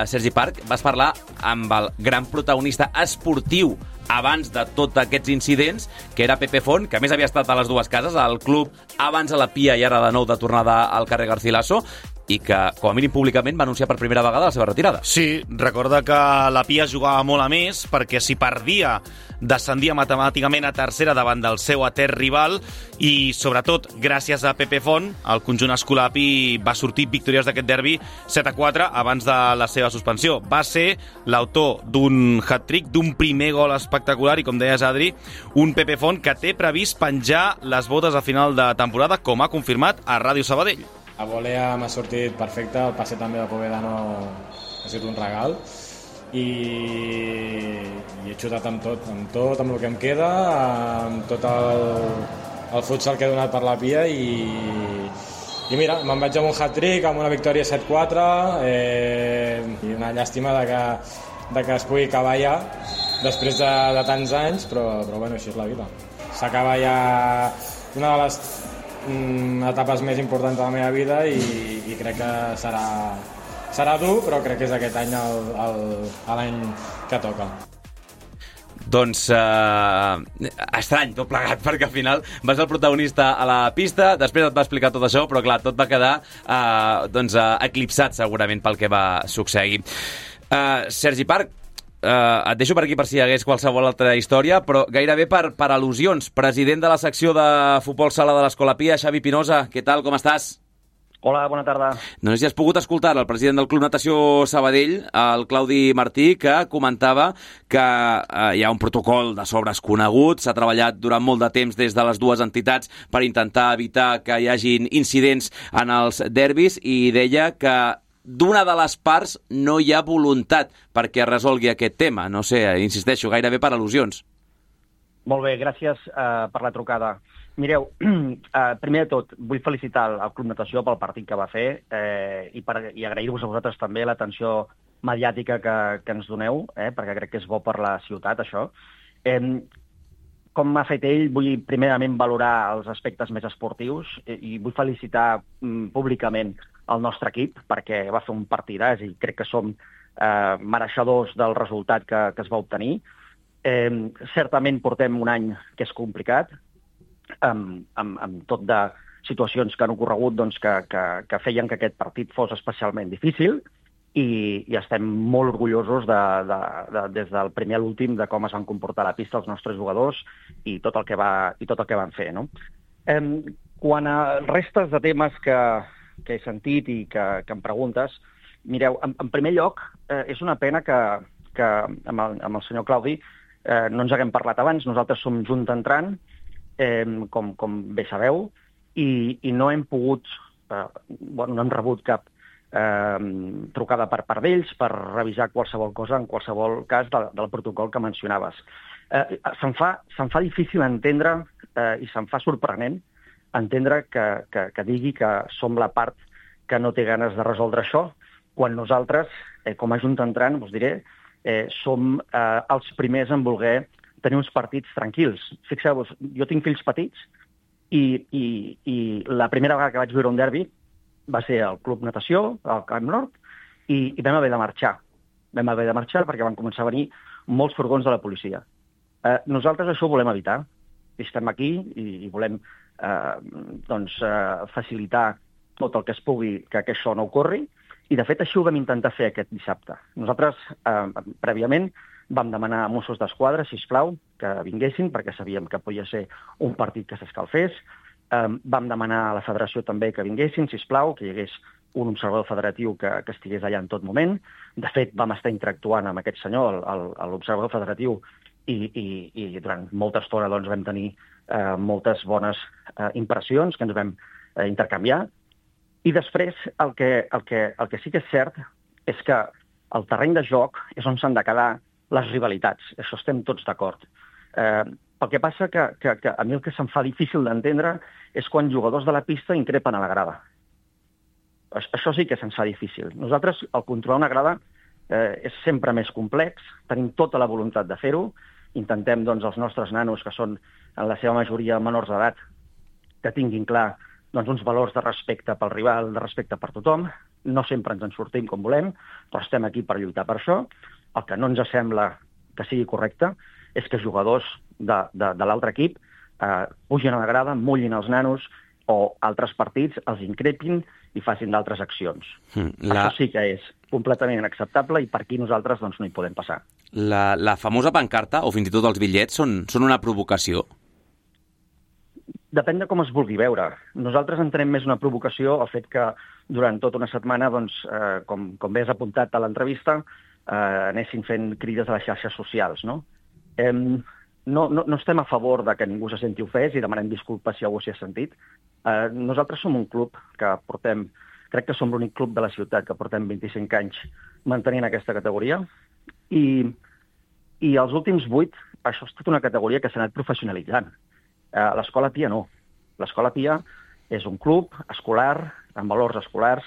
Sergi Parc, vas parlar amb el gran protagonista esportiu abans de tots aquests incidents, que era Pepe Font, que a més havia estat a les dues cases, al club abans a la Pia i ara de nou de tornada al carrer Garcilaso, i que, com a mínim públicament, va anunciar per primera vegada la seva retirada. Sí, recorda que la Pia jugava molt a més, perquè si perdia descendia matemàticament a tercera davant del seu etern rival i, sobretot, gràcies a Pepe Font, el conjunt escolapi va sortir victoriós d'aquest derbi 7-4 abans de la seva suspensió. Va ser l'autor d'un hat-trick, d'un primer gol espectacular i, com deies, Adri, un Pepe Font que té previst penjar les botes a final de temporada, com ha confirmat a Ràdio Sabadell. La volea m'ha sortit perfecte, el passe també de Povedano ha sigut un regal i he xutat amb tot, amb el que em queda, amb tot el futsal que he donat per la Pia i mira, me'n vaig amb un hat-trick, amb una victòria 7-4 i una llàstima de que es pugui acabar ja després de tants anys, però bueno, així és la vida. S'acaba ja una de les etapes més importants de la meva vida i crec que serà dur, però crec que és aquest any l'any que toca. Doncs estrany tot plegat, perquè al final vas ser el protagonista a la pista, després et va explicar tot això, però clar, tot va quedar eclipsat segurament pel que va succeir. Sergi Parc, et deixo per aquí per si hi hagués qualsevol altra història, però gairebé per al·lusions. President de la secció de futbol sala de l'Escola Pia, Xavi Pinoza, què tal, com estàs? Hola, bona tarda. No sé si has pogut escoltar el president del Club Natació Sabadell, el Claudi Martí, que comentava que hi ha un protocol de sobres conegut, s'ha treballat durant molt de temps des de les dues entitats per intentar evitar que hi hagin incidents en els derbis, i deia que d'una de les parts no hi ha voluntat perquè es resolgui aquest tema. No sé, insisteixo, gairebé per al·lusions. Molt bé, gràcies per la trucada. Mireu, primer de tot, vull felicitar el Club Natació pel partit que va fer i agrair-vos a vosaltres també l'atenció mediàtica que ens doneu, perquè crec que és bo per la ciutat, això. Com ha fet ell, vull primerament valorar els aspectes més esportius i vull felicitar públicament el nostre equip perquè va fer un partidàs i crec que som mereixedors del resultat que es va obtenir. Certament portem un any que és complicat, amb tot de situacions que han ocorregut que feien que aquest partit fos especialment difícil i estem molt orgullosos des del primer a l'últim de com es van comportar a la pista els nostres jugadors i tot el que van fer. No? Quant a restes de temes que he sentit i que em preguntes, mireu, en primer lloc, és una pena que amb el senyor Claudi no ens haguem parlat abans. Nosaltres som Junta Entrant, com bé sabeu, i no hem pogut, no hem rebut cap trucada per part d'ells per revisar qualsevol cosa, en qualsevol cas del protocol que mencionaves. Se'm fa difícil entendre i se'm fa sorprenent entendre que digui que som la part que no té ganes de resoldre això, quan nosaltres, com a Junta Entrant, us diré, som els primers en voler tenir uns partits tranquils. Fixeu-vos, jo tinc fills petits i la primera vegada que vaig viure un derbi va ser al Club Natació, al Camp Nord, i vam haver de marxar. Vam haver de marxar perquè van començar a venir molts furgons de la policia. Nosaltres això ho volem evitar. Estem aquí i volem facilitar tot el que es pugui que això no ocorri, i de fet això ho vam intentar fer aquest dissabte. Nosaltres, prèviament, vam demanar a Mossos d'Esquadra, sisplau, que vinguessin, perquè sabíem que podia ser un partit que s'escalfés. Vam demanar a la federació també que vinguessin, sisplau, que hi hagués un observador federatiu que estigués allà en tot moment. De fet, vam estar interactuant amb aquest senyor, l'observador federatiu, i durant molta estona vam tenir moltes bones impressions que ens vam intercanviar. I després, el que sí que és cert és que el terreny de joc és on s'han de quedar les rivalitats. Això estem tots d'acord. El que passa que a mi el que se'm fa difícil d'entendre és quan jugadors de la pista increpen a la grada. Això sí que se'ns fa difícil. Nosaltres, el controlar una grada és sempre més complex, tenim tota la voluntat de fer-ho, intentem, els nostres nanos, que són en la seva majoria menors d'edat, que tinguin clar uns valors de respecte pel rival, de respecte per tothom. No sempre ens en sortim com volem, però estem aquí per lluitar per això. El que no ens sembla que sigui correcte és que jugadors de l'altre equip pugin a la grada, mullin els nanos o altres partits els increpin i facin d'altres accions. Això sí que és completament inacceptable i per aquí nosaltres no hi podem passar. La famosa pancarta, o fins i tot els bitllets, són una provocació? Depèn de com es vulgui veure. Nosaltres entenem més una provocació el fet que durant tota una setmana, com bé has apuntat a l'entrevista, anessin fent crides a les xarxes socials. No estem a favor de que ningú se senti ofès i demanem disculpes si algú s'hi ha sentit. Nosaltres som un club que crec que som l'únic club de la ciutat que portem 25 anys mantenint aquesta categoria i els últims 8, això és tota una categoria que s'ha anat professionalitzant. L'Escola Pia no. L'Escola Pia és un club escolar, amb valors escolars,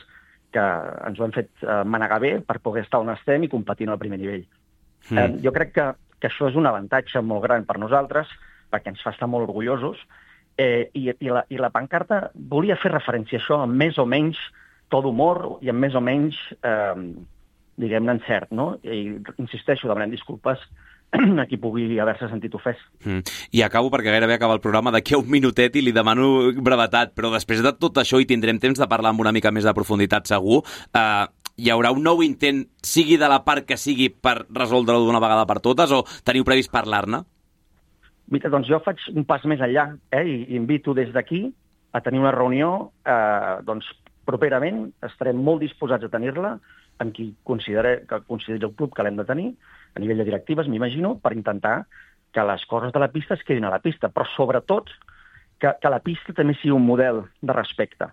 que ens ho hem fet manegar bé per poder estar on estem i competint al primer nivell. Jo crec que això és un avantatge molt gran per nosaltres, perquè ens fa estar molt orgullosos, i la pancarta volia fer referència a això amb més o menys to d'humor i amb més o menys, diguem-ne, encert, no? I insisteixo, demanem disculpes a qui pugui haver-se sentit ofès. I acabo, perquè gairebé acaba el programa, d'aquí a un minutet i li demano brevetat, però després de tot això, i tindrem temps de parlar amb una mica més de profunditat segur, hi haurà un nou intent, sigui de la part que sigui, per resoldre-ho d'una vegada per totes, o teniu previst parlar-ne? Mira, doncs jo faig un pas més enllà, i invito des d'aquí a tenir una reunió, doncs properament estarem molt disposats a tenir-la amb qui consideri el club que l'hem de tenir, a nivell de directives, m'imagino, per intentar que les coses de la pista es quedin a la pista, però sobretot que la pista també sigui un model de respecte.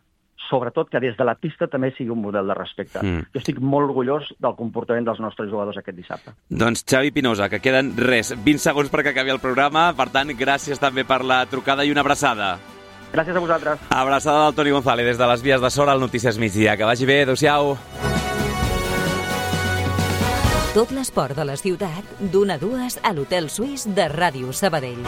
Sobretot que des de la pista també sigui un model de respecte. Jo estic molt orgullós del comportament dels nostres jugadors aquest dissabte. Doncs Xavi Pinoza, que queden 20 segons perquè acabi el programa, per tant, gràcies també per la trucada i una abraçada. Gràcies a vosaltres. Abraçada del Toni González des de les vies de Sora al Notícies Migdia. Que vagi bé, adéu-siau. Tot l'esport de la ciutat, d'1 a 2 a l'Hotel Suís de Ràdio Sabadell.